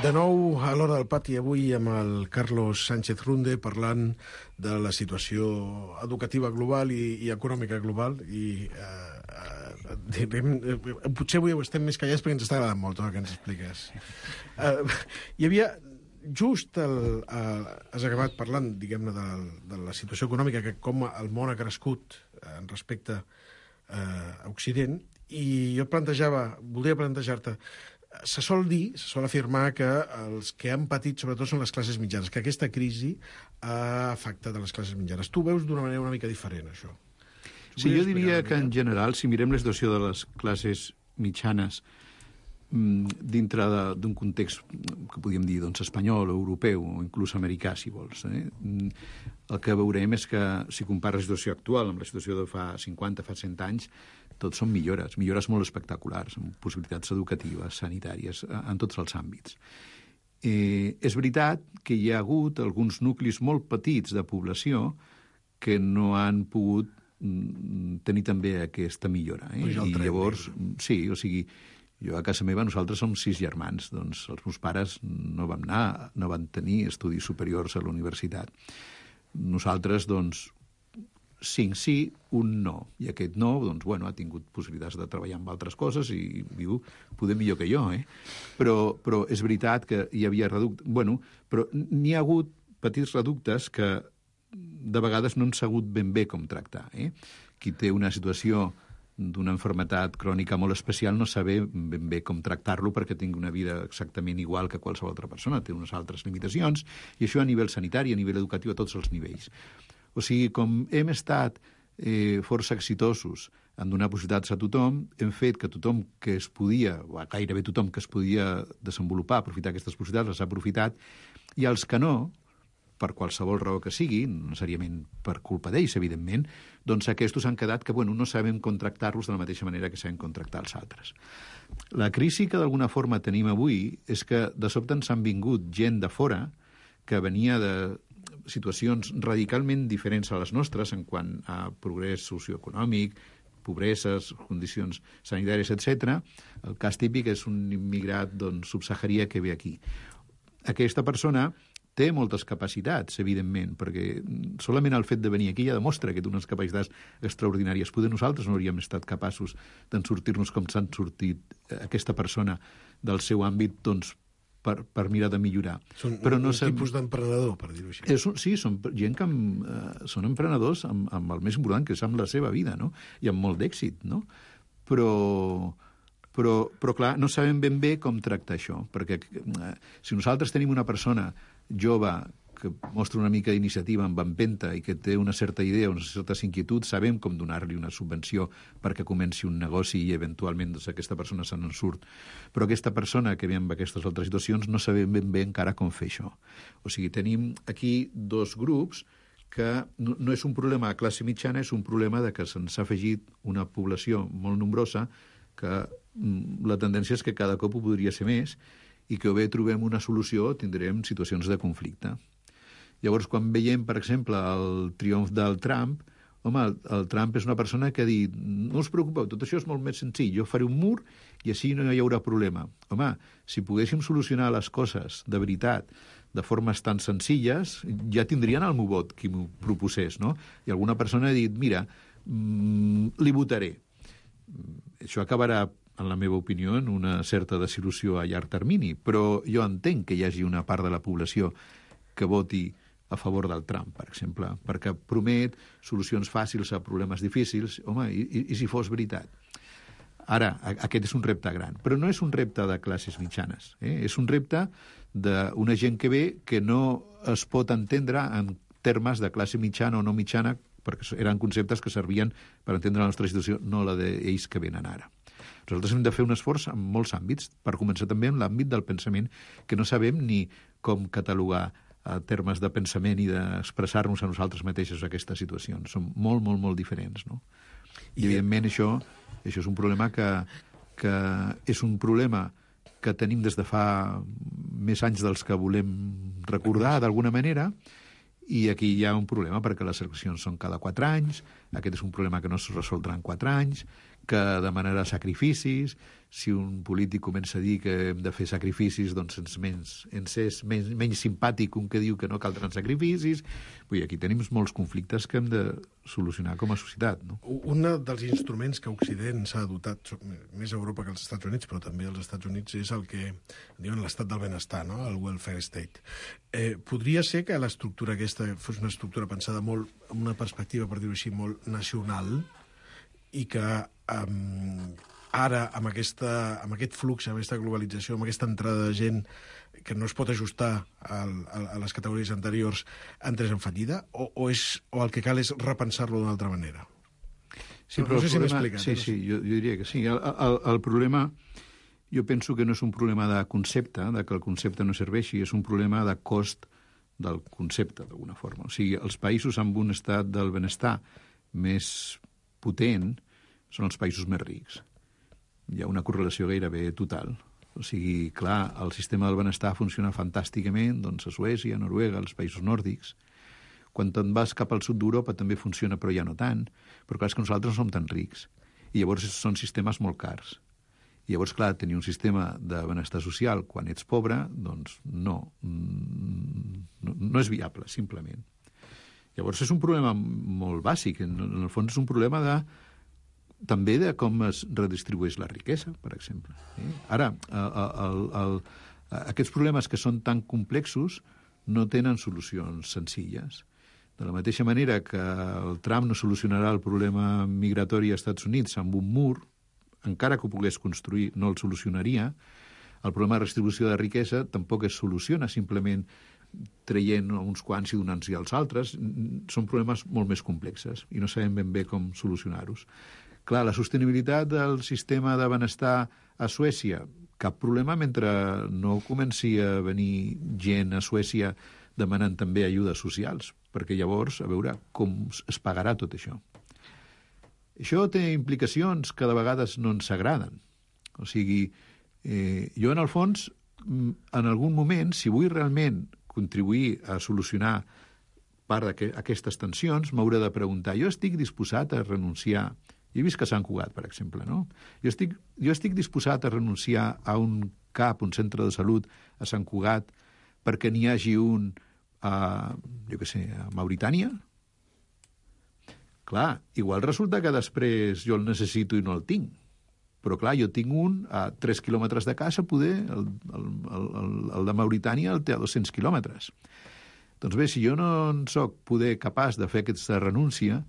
De nou a l'Hora del Pati, avui amb el Carlos Sánchez Runde, parlant de la situació educativa global i econòmica global. I potser avui ho estem més callats perquè ens està agradant molt tot el que ens expliques. Hi havia... Just has acabat parlant, diguem-ne, de la situació econòmica, que com el món ha crescut en respecte a Occident, i jo voldria plantejar-te, se sol afirmar que els que han patit sobretot són les classes mitjanes, que aquesta crisi ha afectat a les classes mitjanes. Tu veus d'una manera una mica diferent, això? Sí, jo diria que en general, si mirem la situació de les classes mitjanes dintre d'un context que podríem dir espanyol o europeu o inclús americà, si vols, el que veurem és que si compares la situació actual amb la situació de fa 50, fa 100 anys, tot són millores molt espectaculars, amb possibilitats educatives, sanitàries, en tots els àmbits. És veritat que hi ha hagut alguns nuclis molt petits de població que no han pogut tenir també aquesta millora. I llavors, sí, o sigui, jo a casa meva nosaltres som 6 germans, doncs els meus pares no van tenir estudis superiors a la universitat. Nosaltres, doncs, 5 sí, un no. I aquest no, doncs, bueno, ha tingut possibilitats de treballar amb altres coses i viu poder millor que jo, Però és veritat que hi havia reductes... Bueno, però n'hi ha hagut petits reductes que de vegades no han sabut ben bé com tractar, Qui té una situació d'una malaltia crònica molt especial no saber ben bé com tractar-lo perquè tingui una vida exactament igual que qualsevol altra persona, té unes altres limitacions, i això a nivell sanitari, a nivell educatiu, a tots els nivells. O sigui, com hem estat força exitosos en donar possibilitats a tothom, hem fet que tothom que es podia, o gairebé tothom que es podia desenvolupar, aprofitar aquestes possibilitats, les ha aprofitat, i els que no, per qualsevol raó que sigui, no necessàriament per culpa d'ells, evidentment, doncs aquests han quedat que no sabem contractar-los de la mateixa manera que sabem contractar els altres. La crisi que d'alguna forma tenim avui és que de sobte ens han vingut gent de fora que venia de situacions radicalment diferents a les nostres en quant a progrés socioeconòmic, pobreses, condicions sanitàries, etc. El cas típic és un immigrat subsaharià que ve aquí. Aquesta persona té moltes capacitats, evidentment, perquè solament el fet de venir aquí ja demostra que té unes capacitats extraordinàries. Poder nosaltres no hauríem estat capaços d'en sortir-nos com s'han sortit aquesta persona del seu àmbit, doncs, per mirar de millorar. Són però no tipus d'emprenedor, per dir-ho així. Sí, són gent que són emprenedors amb el més important, que és amb la seva vida, no? I amb molt d'èxit, no? Però clar, no sabem ben bé com tractar això, perquè si nosaltres tenim una persona jove que mostra una mica d'iniciativa amb empenta i que té una certa idea, unes certes inquietuds, sabem com donar-li una subvenció perquè comenci un negoci i eventualment doncs, aquesta persona se n'en surt. Però aquesta persona que ve amb aquestes altres situacions no sabem ben bé encara com fer això. O sigui, tenim aquí dos grups que no és un problema de classe mitjana, és un problema de que se'ns ha afegit una població molt nombrosa que la tendència és que cada cop ho podria ser més i que o bé trobem una solució o tindrem situacions de conflicte. Llavors, quan veiem, per exemple, el triomf del Trump, home, el Trump és una persona que ha dit no us preocupeu, tot això és molt més senzill, jo faré un mur i així no hi haurà problema. Home, si poguéssim solucionar les coses de veritat de formes tan senzilles, ja tindrien el meu vot qui m'ho proposés, no? I alguna persona ha dit, mira, li votaré. Això acabarà, en la meva opinió, en una certa desil·lusió a llarg termini, però jo entenc que hi hagi una part de la població que voti a favor del Trump, per exemple, perquè promet solucions fàcils a problemes difícils. Home, i si fos veritat? Ara, aquest és un repte gran, però no és un repte de classes mitjanes, és un repte d'una gent que ve que no es pot entendre en termes de classe mitjana o no mitjana, perquè eren conceptes que servien per entendre la nostra situació, no la d'ells que venen ara. Nosaltres hem de fer un esforç en molts àmbits, per començar també en l'àmbit del pensament, que no sabem ni com catalogar a termes de pensament i d'expressar-nos a nosaltres mateixos aquestes situacions. Són molt, molt, molt diferents, no? I, evidentment, això és un problema que és un problema que tenim des de fa més anys dels que volem recordar, d'alguna manera, i aquí hi ha un problema perquè les eleccions són cada 4 anys, aquest és un problema que no es resoldrà en 4 anys, que demanarà sacrificis. Si un polític comença a dir que hem de fer sacrificis, doncs ens és menys simpàtic un que diu que no caldran sacrificis. Vull dir, aquí tenim molts conflictes que hem de solucionar com a societat, no? Un dels instruments que Occident s'ha dotat, més a Europa que als Estats Units, però també als Estats Units, és el que diuen l'estat del benestar, no? El welfare state. Podria ser que l'estructura aquesta fos una estructura pensada molt amb una perspectiva, per dir-ho així, molt nacional, i que ara, amb aquest flux, amb aquesta globalització, amb aquesta entrada de gent que no es pot ajustar a les categories anteriors, entrés en fallida, o el que cal és repensar-lo d'una altra manera? Sí, però no sé si m'he explicat. Sí, jo diria que sí. El problema, jo penso que no és un problema de concepte, de que el concepte no serveixi, és un problema de cost del concepte, d'alguna forma. O sigui, els països amb un estat del benestar més potent són els països més rics. Hi ha una correlació gairebé total. O sigui, clar, el sistema del benestar funciona fantàsticament, doncs a Suècia, a Noruega, als països nòrdics. Quan te'n vas cap al sud d'Europa també funciona, però ja no tant. Però clar, és que nosaltres no som tan rics. I llavors són sistemes molt cars. I llavors, clar, tenir un sistema de benestar social quan ets pobre, doncs no és viable, simplement. Llavors és un problema molt bàsic. En el fons és un problema també de com es redistribueix la riquesa, per exemple. Ara, aquests problemes que són tan complexos no tenen solucions senzilles. De la mateixa manera que el Trump no solucionarà el problema migratori als Estats Units amb un mur, encara que ho pogués construir, no el solucionaria. El problema de redistribució de riquesa tampoc es soluciona simplement traient uns quants i donant-hi als altres. Són problemes molt més complexes i no sabem ben bé com solucionar-los. Clar, la sostenibilitat del sistema de benestar a Suècia, cap problema mentre no comenci a venir gent a Suècia demanant també ajudes socials, perquè llavors, a veure com es pagarà tot això. Això té implicacions que de vegades no ens agraden. O sigui, jo en el fons, en algun moment, si vull realment contribuir a solucionar part d'aquestes tensions, m'hauré de preguntar, jo estic disposat a renunciar. Jo he vist que Sant Cugat, per exemple, no? Jo estic disposat a renunciar a un CAP, un centre de salut a Sant Cugat, perquè n'hi hagi un a Mauritània? Clar, igual resulta que després jo el necessito i no el tinc. Però, clar, jo tinc un a 3 quilòmetres de casa, poder, el de Mauritània el té a 200 quilòmetres. Doncs bé, si jo no en soc poder capaç de fer aquesta renúncia,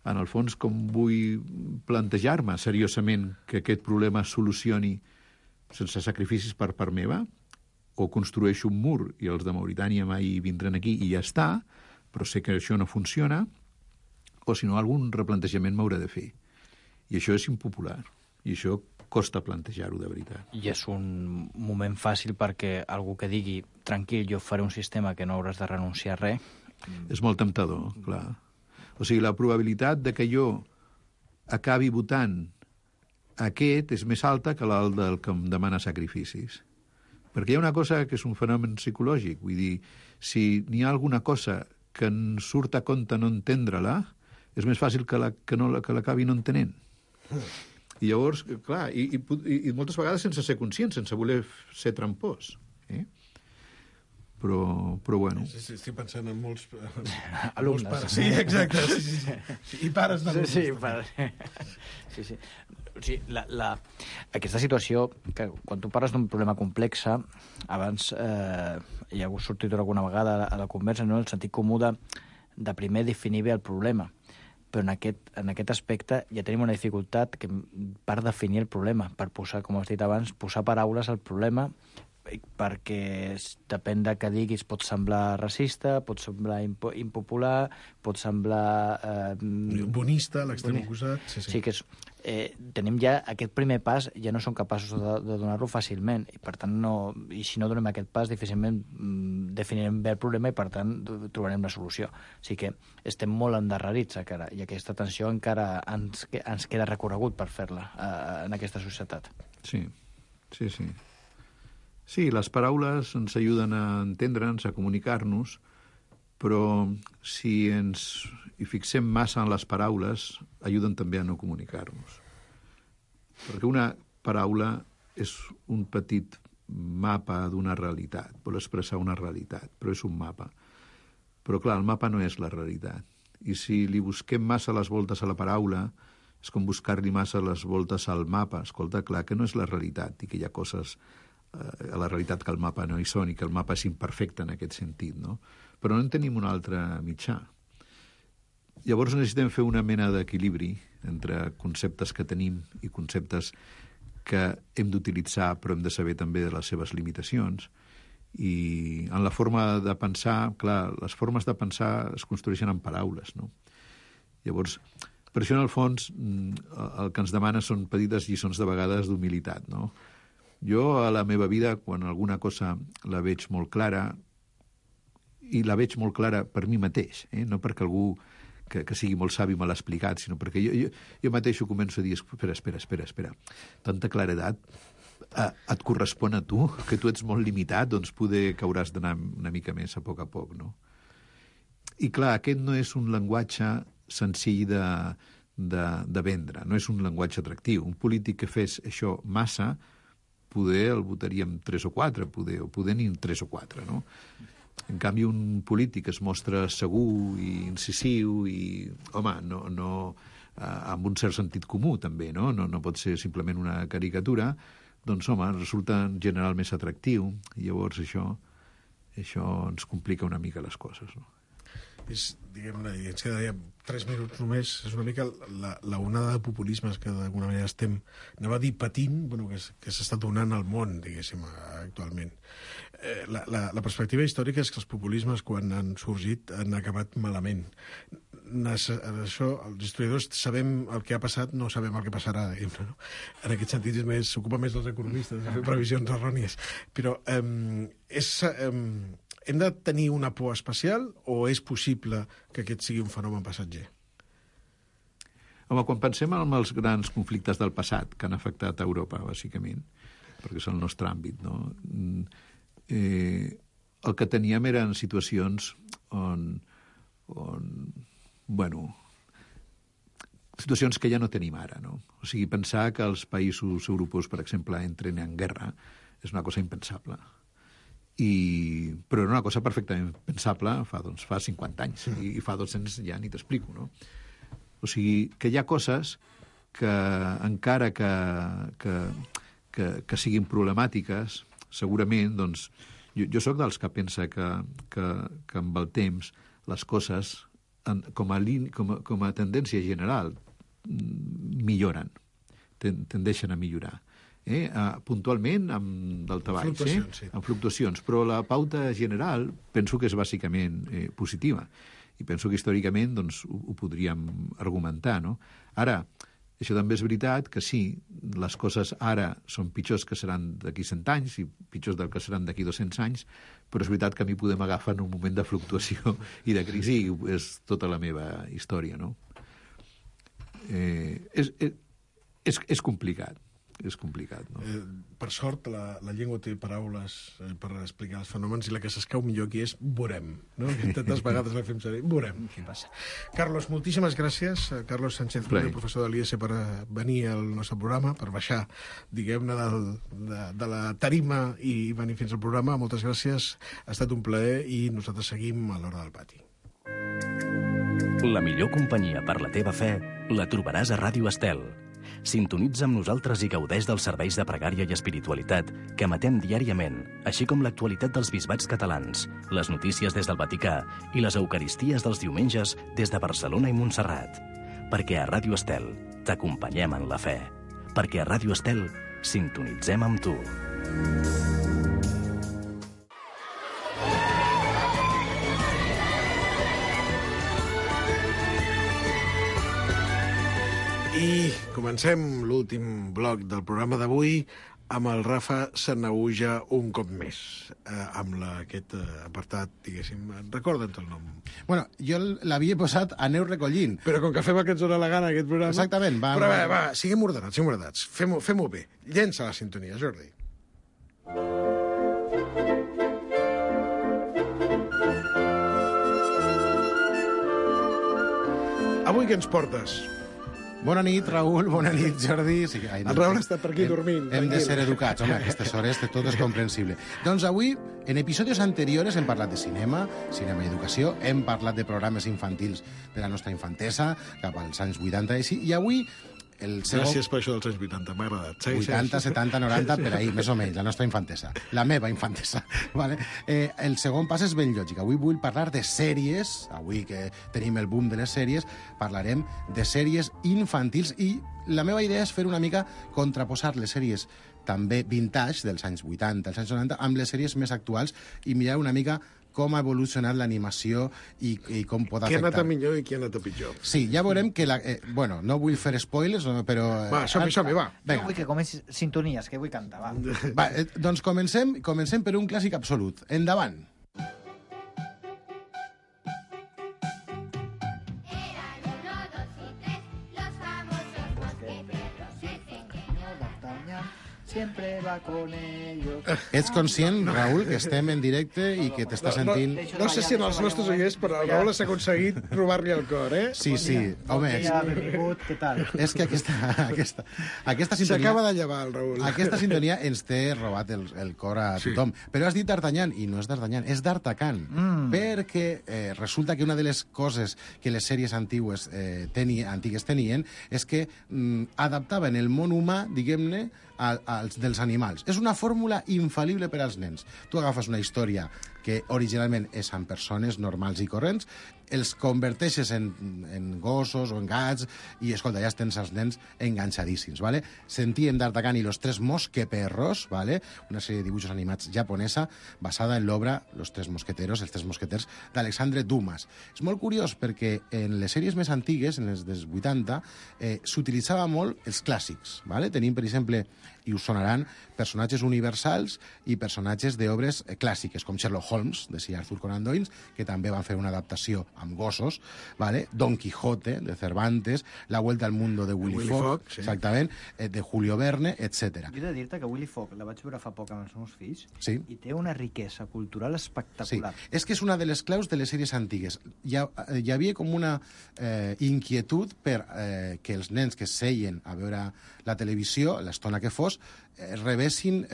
en el fons com vull plantejar-me seriosament que aquest problema es solucioni sense sacrificis per part meva, o construeixo un mur i els de Mauritània mai vindran aquí i ja està, però sé que això no funciona, o si no, algun replantejament m'haurà de fer. I això és impopular. I això costa plantejar-ho de veritat. I és un moment fàcil perquè algú que digui tranquil, jo faré un sistema que no hauràs de renunciar a res. És molt temptador, clar. O sigui, la probabilitat de que jo acabi votant aquest és més alta que la del que em demana sacrificis. Perquè hi ha una cosa que és un fenomen psicològic. Vull dir, si n'hi ha alguna cosa que en surt a compte no entendre-la, és més fàcil que l'acabi no entenent. I llavors, clar, i moltes vegades sense ser conscient, sense voler ser trampós. Però bueno. Sí, estic pensant en molts alumnes. Pares. Sí, exacte. Sí. I pares d'alumnes. Sí, pares. Sí. O sigui, aquesta situació, que quan tu parles d'un problema complex, abans hi ha sortit alguna vegada a la conversa, no? El sentit comú de primer definir bé el problema. Però en aquest aspecte ja tenim una dificultat per definir el problema, per posar, com has dit abans, posar paraules al problema, perquè depèn de què diguis pot semblar racista, pot semblar impopular, pot semblar... bonista, l'extrem oposat. Sí, que tenim ja aquest primer pas, ja no som capaços de donar-lo fàcilment, i per tant, i si no donem aquest pas, difícilment definirem bé el problema i per tant trobarem la solució. O sigui que estem molt endarrerits encara, i aquesta tensió encara ens queda recorregut per fer-la en aquesta societat. Sí. Sí, les paraules ens ajuden a entendre'ns, a comunicar-nos, però si ens hi fixem massa en les paraules, ajuden també a no comunicar-nos. Perquè una paraula és un petit mapa d'una realitat, vol expressar una realitat, però és un mapa. Però, clar, el mapa no és la realitat. I si li busquem massa les voltes a la paraula, és com buscar-li massa les voltes al mapa. Escolta, clar que no és la realitat i que hi ha coses a la realitat que el mapa no hi són i que el mapa és imperfecte en aquest sentit, no? Però no en tenim un altre mitjà. Llavors necessitem fer una mena d'equilibri entre conceptes que tenim i conceptes que hem d'utilitzar però hem de saber també de les seves limitacions. I en la forma de pensar, clar, les formes de pensar es construeixen en paraules, no? Llavors, per això en el fons el que ens demana són petites lliçons de vegades d'humilitat, no? Jo a la meva vida, quan alguna cosa la veig molt clara, i la veig molt clara per mi mateix, no perquè algú que sigui molt savi me l'ha explicat, sinó perquè jo mateix ho començo a dir, espera, tanta claredat et correspon a tu, que tu ets molt limitat, doncs poder que hauràs d'anar una mica més a poc, no? I clar, aquest no és un llenguatge senzill de vendre, no és un llenguatge atractiu. Un polític que fes això massa, poder el votaríem 3 o 4, o poder ni 3 o 4, no? En canvi, un polític es mostra segur i incisiu i, home, amb un cert sentit comú, també, no? No pot ser simplement una caricatura, doncs, home, resulta en general més atractiu, i llavors això ens complica una mica les coses, no? És, diguem-ne, i ens queda 3 minuts només, és una mica la onada de populismes que d'alguna manera estem, anava a dir patint, bueno, que s'està donant al món, diguéssim, actualment. La perspectiva històrica és que els populismes, quan han sorgit, han acabat malament. Això, els historiadors sabem el que ha passat, no sabem el que passarà, diguem-ne, no? En aquest sentit s'ocupa més dels economistes de fer previsions errònies. Però hem de tenir una por especial o és possible que aquest sigui un fenomen passatger? Home, quan pensem en els grans conflictes del passat que han afectat a Europa, bàsicament, perquè és el nostre àmbit, no? El que teníem eren situacions situacions que ja no tenim ara, no? O sigui, pensar que els països europeus, per exemple, entren en guerra és una cosa impensable. però era una cosa perfectament pensable fa 50 anys, i fa 200 ja ni t'explico, no? O sigui, que hi ha coses que encara que siguin problemàtiques, segurament, doncs, jo sóc dels que pensa que amb el temps les coses, com a tendència general, milloren, tendeixen a millorar. Puntualment amb daltabaix, amb fluctuacions, però la pauta general penso que és bàsicament positiva, i penso que històricament doncs, ho podríem argumentar, no? Ara, això també és veritat que sí, les coses ara són pitjors que seran d'aquí 100 anys i pitjors del que seran d'aquí 200 anys, però és veritat que a mi podem agafar en un moment de fluctuació i de crisi, i és tota la meva història, no? És complicat. És complicat, no? Per sort, la llengua té paraules per explicar els fenòmens, i la que s'escau millor aquí és veurem, no? Que tantes vegades la fem servir. Veurem què passa. Carlos, moltíssimes gràcies. Carlos Sánchez, professor de l'IES, per venir al nostre programa, per baixar, diguem-ne, de la tarima i venir fins al programa. Moltes gràcies. Ha estat un plaer i nosaltres seguim a l'Hora del Pati. La millor companyia per la teva fe la trobaràs a Ràdio Estel. Sintonitza amb nosaltres i gaudeix dels serveis de pregària i espiritualitat que emetem diàriament, així com l'actualitat dels bisbats catalans, les notícies des del Vaticà i les eucaristies dels diumenges des de Barcelona i Montserrat. Perquè a Ràdio Estel t'acompanyem en la fe. Perquè a Ràdio Estel sintonitzem amb tu. I comencem l'últim bloc del programa d'avui amb el Rafa Sanahuja un cop més, amb aquest apartat, diguéssim. Recorda'ns el nom. Bueno, jo l'havia posat a Neu recollint. Però com que fem el que ens dóna la gana, aquest programa... Exactament. Però va, siguem ordenats. Fem-ho bé. Llença la sintonia, Jordi. Avui què ens portes? Bona nit, Raül, bona nit, Jordi. Sí, el Raül està per aquí dormint. Hem de ser educats, home, a aquestes hores tot és comprensible. Doncs avui, en episodis anteriors, hem parlat de cinema i educació, hem parlat de programes infantils de la nostra infantesa, cap als anys 80 i així, i avui... Gràcies per això dels anys 80, m'ha agradat. 80, 70, 90, per ahí, més o menys, la nostra infantesa. La meva infantesa. Vale? El segon pas és ben lògic. Avui vull parlar de sèries, avui que tenim el boom de les sèries, parlarem de sèries infantils, i la meva idea és fer una mica contraposar les sèries també vintage, dels anys 80, dels anys 90, amb les sèries més actuals, i mirar una mica com ha evolucionat l'animació i com pot afectar. Qui ha anat a millor i qui ha anat a pitjor. Sí, ja veurem que... bueno, no vull fer spoilers, però... Va, som-hi, va. Jo vull que comenci sintonies, que vull cantar, va. Va, doncs comencem per un clàssic absolut. Endavant. Siempre va con ellos. Ets conscient, Raül, que estem en directe i que t'està sentint... No sé si en els nostres oients, però el Raül s'ha aconseguit robar-li el cor, eh? Sí, sí. Home, què tal? És que aquesta sintonia... S'acaba de llevar, el Raül. Aquesta sintonia ens té robat el cor a tothom. Però has dit D'Artagnan, i no és D'Artagnan, és D'Artacan. Perquè resulta que una de les coses que les sèries antigues tenien és que adaptaven el món humà, diguem-ne, dels animals. És una fórmula infal·lible per als nens. Tu agafes una història que originalment és amb persones normals i corrents, els converteixes en gossos o en gats i, escolta, ja tens els nens enganxadíssims, ¿vale? Sentíem D'Artagnan i los tres mosqueperros, ¿vale? Una sèrie de dibuixos animats japonesa basada en l'obra Los tres mosqueteros, els tres mosqueters, d'Alexandre Dumas. És molt curiós perquè en les sèries més antigues, en les dels 80, s'utilitzava molt els clàssics, ¿vale? Tenim, per exemple, i us sonaran, personatges universals i personatges d'obres clàssiques, com Sherlock Holmes, de Sir Arthur Conan Doyle, que també van fer una adaptació amb gossos, ¿vale? Don Quijote, de Cervantes, La Vuelta al Mundo, de Willy Fogg, sí. Exactament, de Julio Verne, etc. Jo he de dir-te que Willy Fogg la vaig veure fa poc amb els meus fills, sí. I té una riquesa cultural espectacular. Sí. És que és una de les claus de les sèries antigues. Hi havia com una inquietud per que els nens que seien a veure la televisió, l'estona que fos, rebessin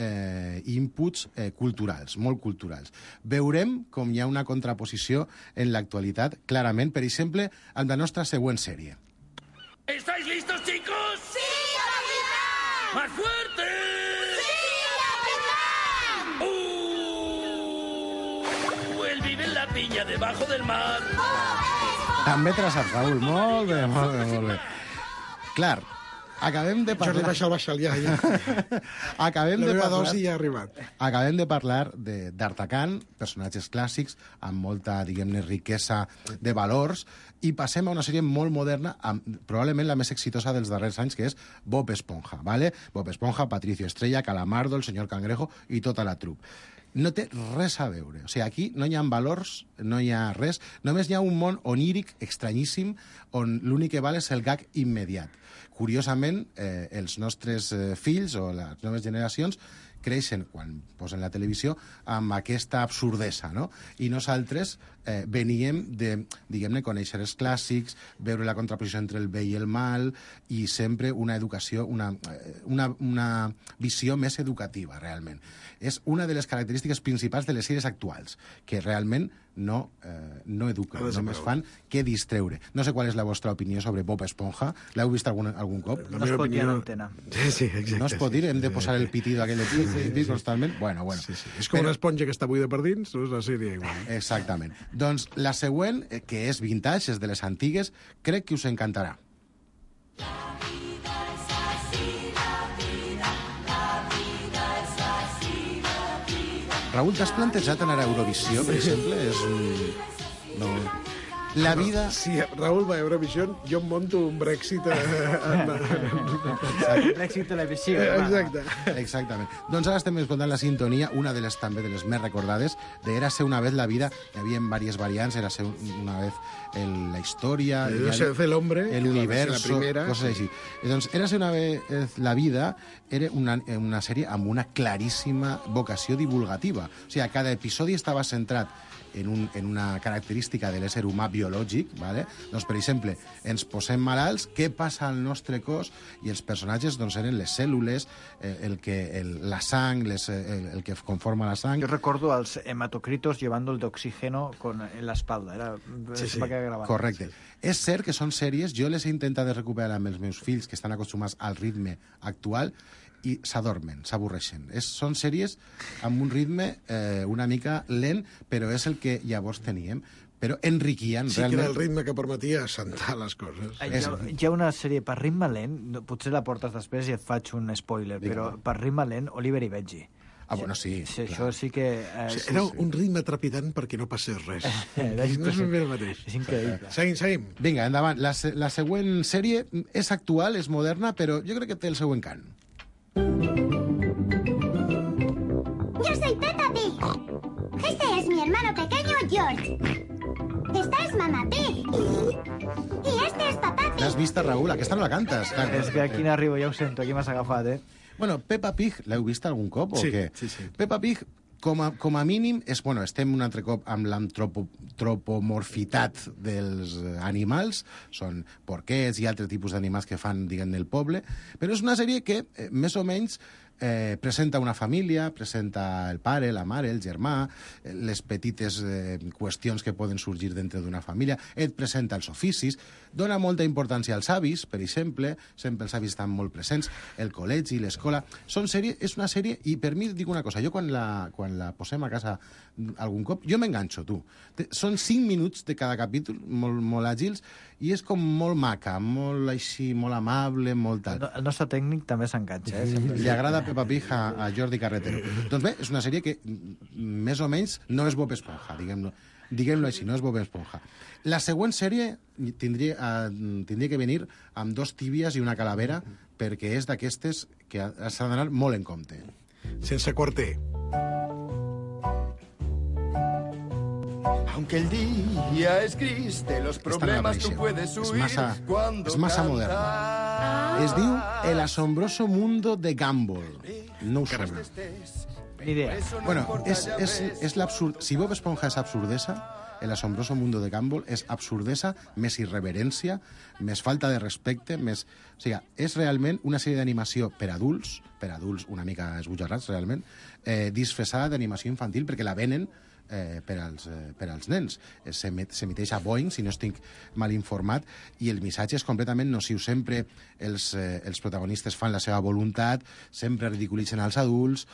inputs culturals, molt culturals. Veurem com hi ha una contraposició en l'actualitat, clarament, per exemple, amb la nostra següent sèrie. ¿Estáis listos, chicos? ¡Sí, capitán! ¡Más fuerte! ¡Sí, capitán! Él vive en la piña debajo del mar. També te la saps, Raül. Molt bé, molt bé, molt bé. Clar, acabem de parlar... Jordi, baixa'l, ja. Acabem de parlar... La meva dosi ja ha arribat. Acabem de parlar d'Artacan, personatges clàssics, amb molta, diguem-ne, riquesa de valors, i passem a una sèrie molt moderna, probablement la més exitosa dels darrers anys, que és Bob Esponja, ¿vale? Bob Esponja, Patricio Estrella, Calamardo, el senyor Cangrejo i tota la trup. No té res a veure. O sigui, aquí no hi ha valors, no hi ha res. Només hi ha un món oníric, estranyíssim, on l'únic que val és el gag immediat. Curiosament, els nostres fills o les noves generacions creixen, quan posen la televisió, amb aquesta absurdesa, no? I nosaltres veníem de, diguem-ne, conèixer els clàssics, veure la contraposició entre el bé i el mal, i sempre una educació, una visió més educativa, realment. És una de les característiques principals de les sèries actuals, que realment no eduquen, només fan que distreure. No sé qual és la vostra opinió sobre Bob Esponja. L'heu vist algun cop? No es pot dir a l'antena. Sí, exacte. No es pot dir? Hem de posar el pitido aquell constantment? Bueno. Sí. És com una esponja que està buida per dins, doncs la sèrie igual. Exactament. Doncs la següent, que és vintage, és de les antigues, crec que us encantarà. Raül, t'has plantejat anar a Eurovisió, per exemple? És un... No. La vida... Si Raül va a Eurovisió, jo em monto un Brexit... Brexit televisió. Exacte. Exactament. Doncs ara estem escoltant la sintonia, una de les també de les més recordades, de Érase una vez la vida. Hi havia diverses variants, Érase una vez la història... Érase el hombre, el universo, coses així. Doncs Érase una vez la vida era una sèrie amb una claríssima vocació divulgativa. O sigui, cada episodi estava centrat en una característica de l'ésser humà biològic, ¿vale? Doncs, per exemple, ens posem malalts, què passa al nostre cos? I els personatges doncs, eren les cèl·lules, la sang, el que conforma la sang. Yo recuerdo als hematocritos llevando el de oxígeno en la espalda. Sí. Correcte. És cert que són sèries, jo les he intentat recuperar amb els meus fills, que estan acostumats al ritme actual, i s'adormen, s'avorreixen. Són sèries amb un ritme una mica lent, però és el que llavors teníem. Però enriquien, sí, realment... que era el ritme que permetia assentar les coses. Hi ha una sèrie per ritme lent, potser la portes després i et faig un spoiler, però per ritme lent, Oliver i Benji. Ah, bueno, sí. Això sí que... Era un ritme trepidant perquè no passés res. No és ben bé el mateix. És increïble. Seguim. Vinga, endavant. La següent sèrie és actual, és moderna, però jo crec que té el seu encant. Yo soy Peppa Pig. Este es mi hermano pequeño, George. Esta es Mamá Pig. I este es Papá Pig. L'has vista, Raül? Aquesta no la cantes. És que aquí n'arribo, ja ho sento, aquí m'has agafat, Bueno, Peppa Pig, l'heu vist algun cop o què? Sí. Peppa Pig, com a mínim, estem un altre cop amb l'antropomorfitat dels animals, són porquets i altres tipus d'animals que fan, diguem, el poble, però és una sèrie que, més o menys, presenta una família, presenta el pare, la mare, el germà, les petites qüestions que poden sorgir dintre d'una família, et presenta els oficis, dona molta importància als avis, per exemple, sempre els avis estan molt presents, el col·legi, l'escola... És una sèrie, i per mi, dic una cosa, jo quan la posem a casa algun cop, jo m'enganxo, tu. Són 5 minuts de cada capítol, molt àgils, i és com molt maca, molt així, molt amable, molt tal. El nostre tècnic també s'enganxa, Li agrada Peppa Pig a Jordi Carretero. Doncs bé, és una sèrie que més o menys no és Bob Esponja, diguem-lo així, no és Bob Esponja. La següent sèrie tindria que venir amb 2 tíbies i una calavera, perquè és d'aquestes que s'ha d'anar molt en compte. Sense quarter. Aunque el día es gris, de los problemas tú puedes huir cuando és massa moderna. Es diu El asombroso mundo de Gumball. No ho sona. Ni idea. Bueno, és l'absurd... Si Bob Esponja és absurdesa, El asombroso mundo de Gumball és absurdesa, més irreverència, més falta de respecte, més... O sigui, és realment una sèrie d'animació per adults una mica esbojarrats, realment, disfressada d'animació infantil, perquè la venen per als nens. S'emiteix a Boeing, si no estic mal informat, i el missatge és completament nociu. Sempre els protagonistes fan la seva voluntat, sempre ridiculitzen els adults,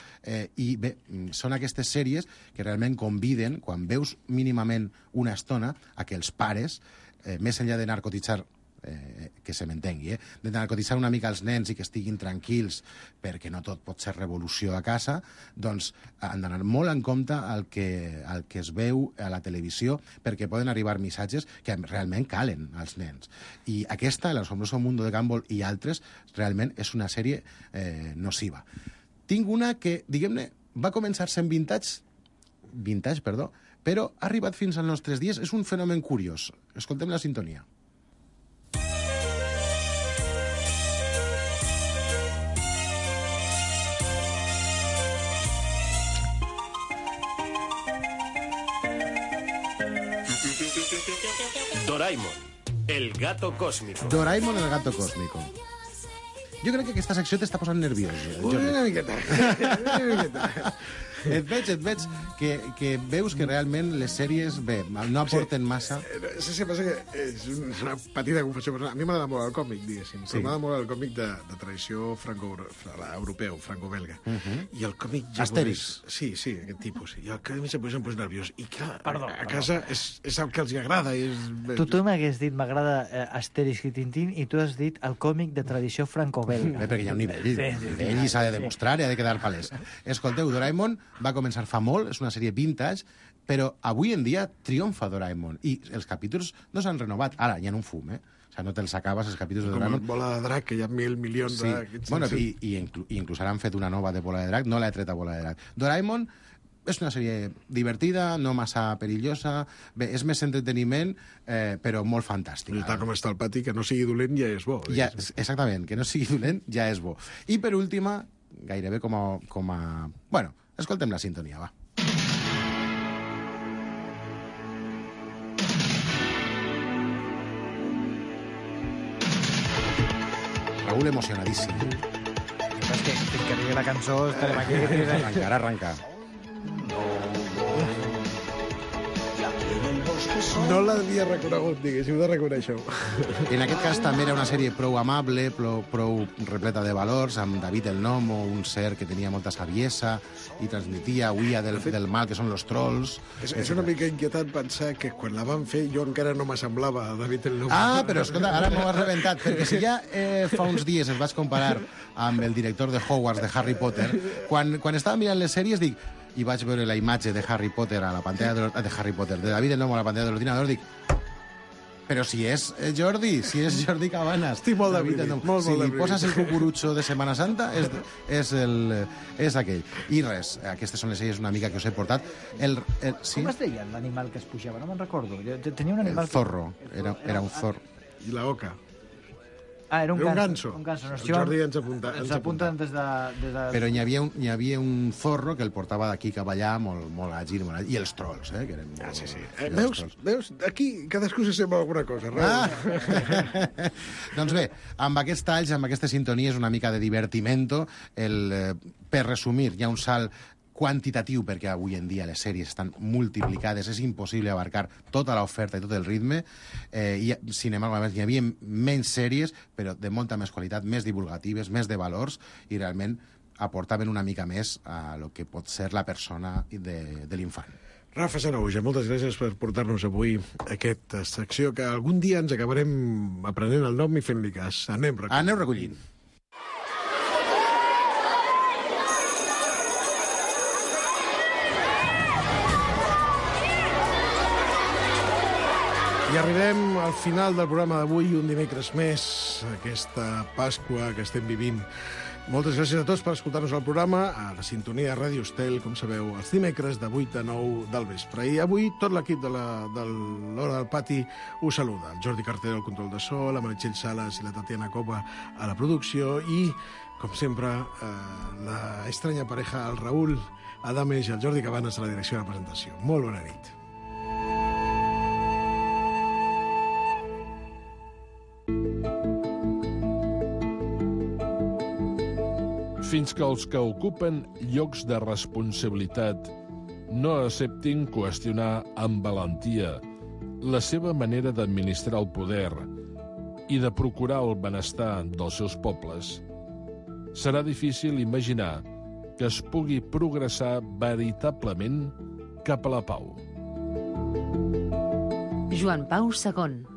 i bé, són aquestes sèries que realment conviden, quan veus mínimament una estona, a que els pares, més enllà de narcotitzar, que se m'entengui, de narcotitzar una mica els nens i que estiguin tranquils perquè no tot pot ser revolució a casa, doncs han d'anar molt en compte al que es veu a la televisió, perquè poden arribar missatges que realment calen als nens. I aquesta, El asombroso mundo de Gumball i altres, realment és una sèrie nociva. Tinc una que, diguem-ne, va començar sent vintage, però ha arribat fins als nostres dies. És un fenomen curiós. Escoltem la sintonia. Doraemon, el gato cósmico. Doraemon, el gato cósmico. Jo crec que aquesta secció t'està posant nerviós. Una miqueta. Et veig que veus que realment les sèries, bé, no aporten massa. Sí, passa que és una petita confessió personal. A mi m'agrada molt el còmic, diguéssim. Sí. M'agrada molt el còmic de tradició europeu, franco-belga. I el còmic japonès... Astèrix. Sí, aquest tipus. I el còmic japonès em posa nerviós. I clar, a casa és el que els agrada. Tu m'hagués dit m'agrada Astèrix i Tintín i tu has dit el còmic de tradició franco-belga. Perquè hi ha un nivell i s'ha de demostrar i ha de quedar palès. Escolteu, Doraemon va començar fa molt, és una sèrie vintage, però avui en dia triomfa Doraemon. I els capítols no s'han renovat. Ara, hi ha un fum, O sigui, no te'ls acabes, els capítols de Doraemon. Com Bola de Drac, que hi ha 1.000 milions de... Bueno, i inclús ara han fet una nova de Bola de Drac, no l'he tret a Bola de Drac. Doraemon és una sèrie divertida, no massa perillosa, bé, és més entreteniment, però molt fantàstica. I tal com està el pati, que no sigui dolent ja és bo. Ja, exactament, que no sigui dolent ja és bo. I per última, gairebé com a... Bueno, escoltem la sintonia, va. Raúl emocionadíssim. És que fins que arribi la cançó estarem aquí. Arrencar. No l'havia reconegut, diguéssim, de reconèixer-ho. En aquest cas també era una sèrie prou amable, prou repleta de valors, amb David el Gnomo, un ser que tenia molta saviesa i transmetia huia del mal, que són els trolls. És una mica inquietant pensar que quan la van fer jo encara no m'assemblava a David el Gnomo. Ah, però escolta, ara m'ho has rebentat, perquè si ja fa uns dies es vaig comparar amb el director de Hogwarts, de Harry Potter, quan estava mirant les sèries dic... i vaig veure la imatge de Harry Potter a la pantalla de David el Gnomo a la pantalla de l'ordinador, dic, però si és Jordi Cabanas. Estic molt David el Gnomo. Si li poses el cucurutxo de Setmana Santa, és aquell. I res, aquestes són les sèries una mica que us he portat. Com es deia l'animal que es pujava? No me'n recordo. Tenia un animal... El zorro, era un zorro. I la oca. Ah, era un ganso. El Jordi ens apunta. Des de... Però hi havia un zorro que el portava d'aquí cap allà, molt àgil, i els trolls, que eren molt... Sí. Veus? Aquí cadascú se sembla alguna cosa. Doncs bé, amb aquests talls, amb aquestes sintonies, una mica de divertimento, per resumir, hi ha un salt quantitatiu, perquè avui en dia les sèries estan multiplicades, és impossible abarcar tota l'oferta i tot el ritme. Sin embargo, hi havia menys sèries, però de molta més qualitat, més divulgatives, més de valors, i realment aportaven una mica més a lo que pot ser la persona de l'infant. Rafa Sanahuja, moltes gràcies per portar-nos avui aquesta secció que algun dia ens acabarem aprenent el nom i fent-li cas. Anem recollint. I arribem al final del programa d'avui, un dimecres més, aquesta Pasqua que estem vivint. Moltes gràcies a tots per escoltar-nos al programa, a la sintonia de Ràdio Estel, com sabeu, els dimecres de 8 a 9 del vespre. I avui tot l'equip de l'Hora del Pati us saluda. El Jordi Cartero al control de so, la Meritxell Sales i la Tatiana Copa a la producció i, com sempre, la estranya pareja, el Raúl Adames i el Jordi Cabanes a la direcció de la presentació. Molt bona nit. Fins que els que ocupen llocs de responsabilitat no acceptin qüestionar amb valentia la seva manera d'administrar el poder i de procurar el benestar dels seus pobles, serà difícil imaginar que es pugui progressar veritablement cap a la pau. Joan Pau II.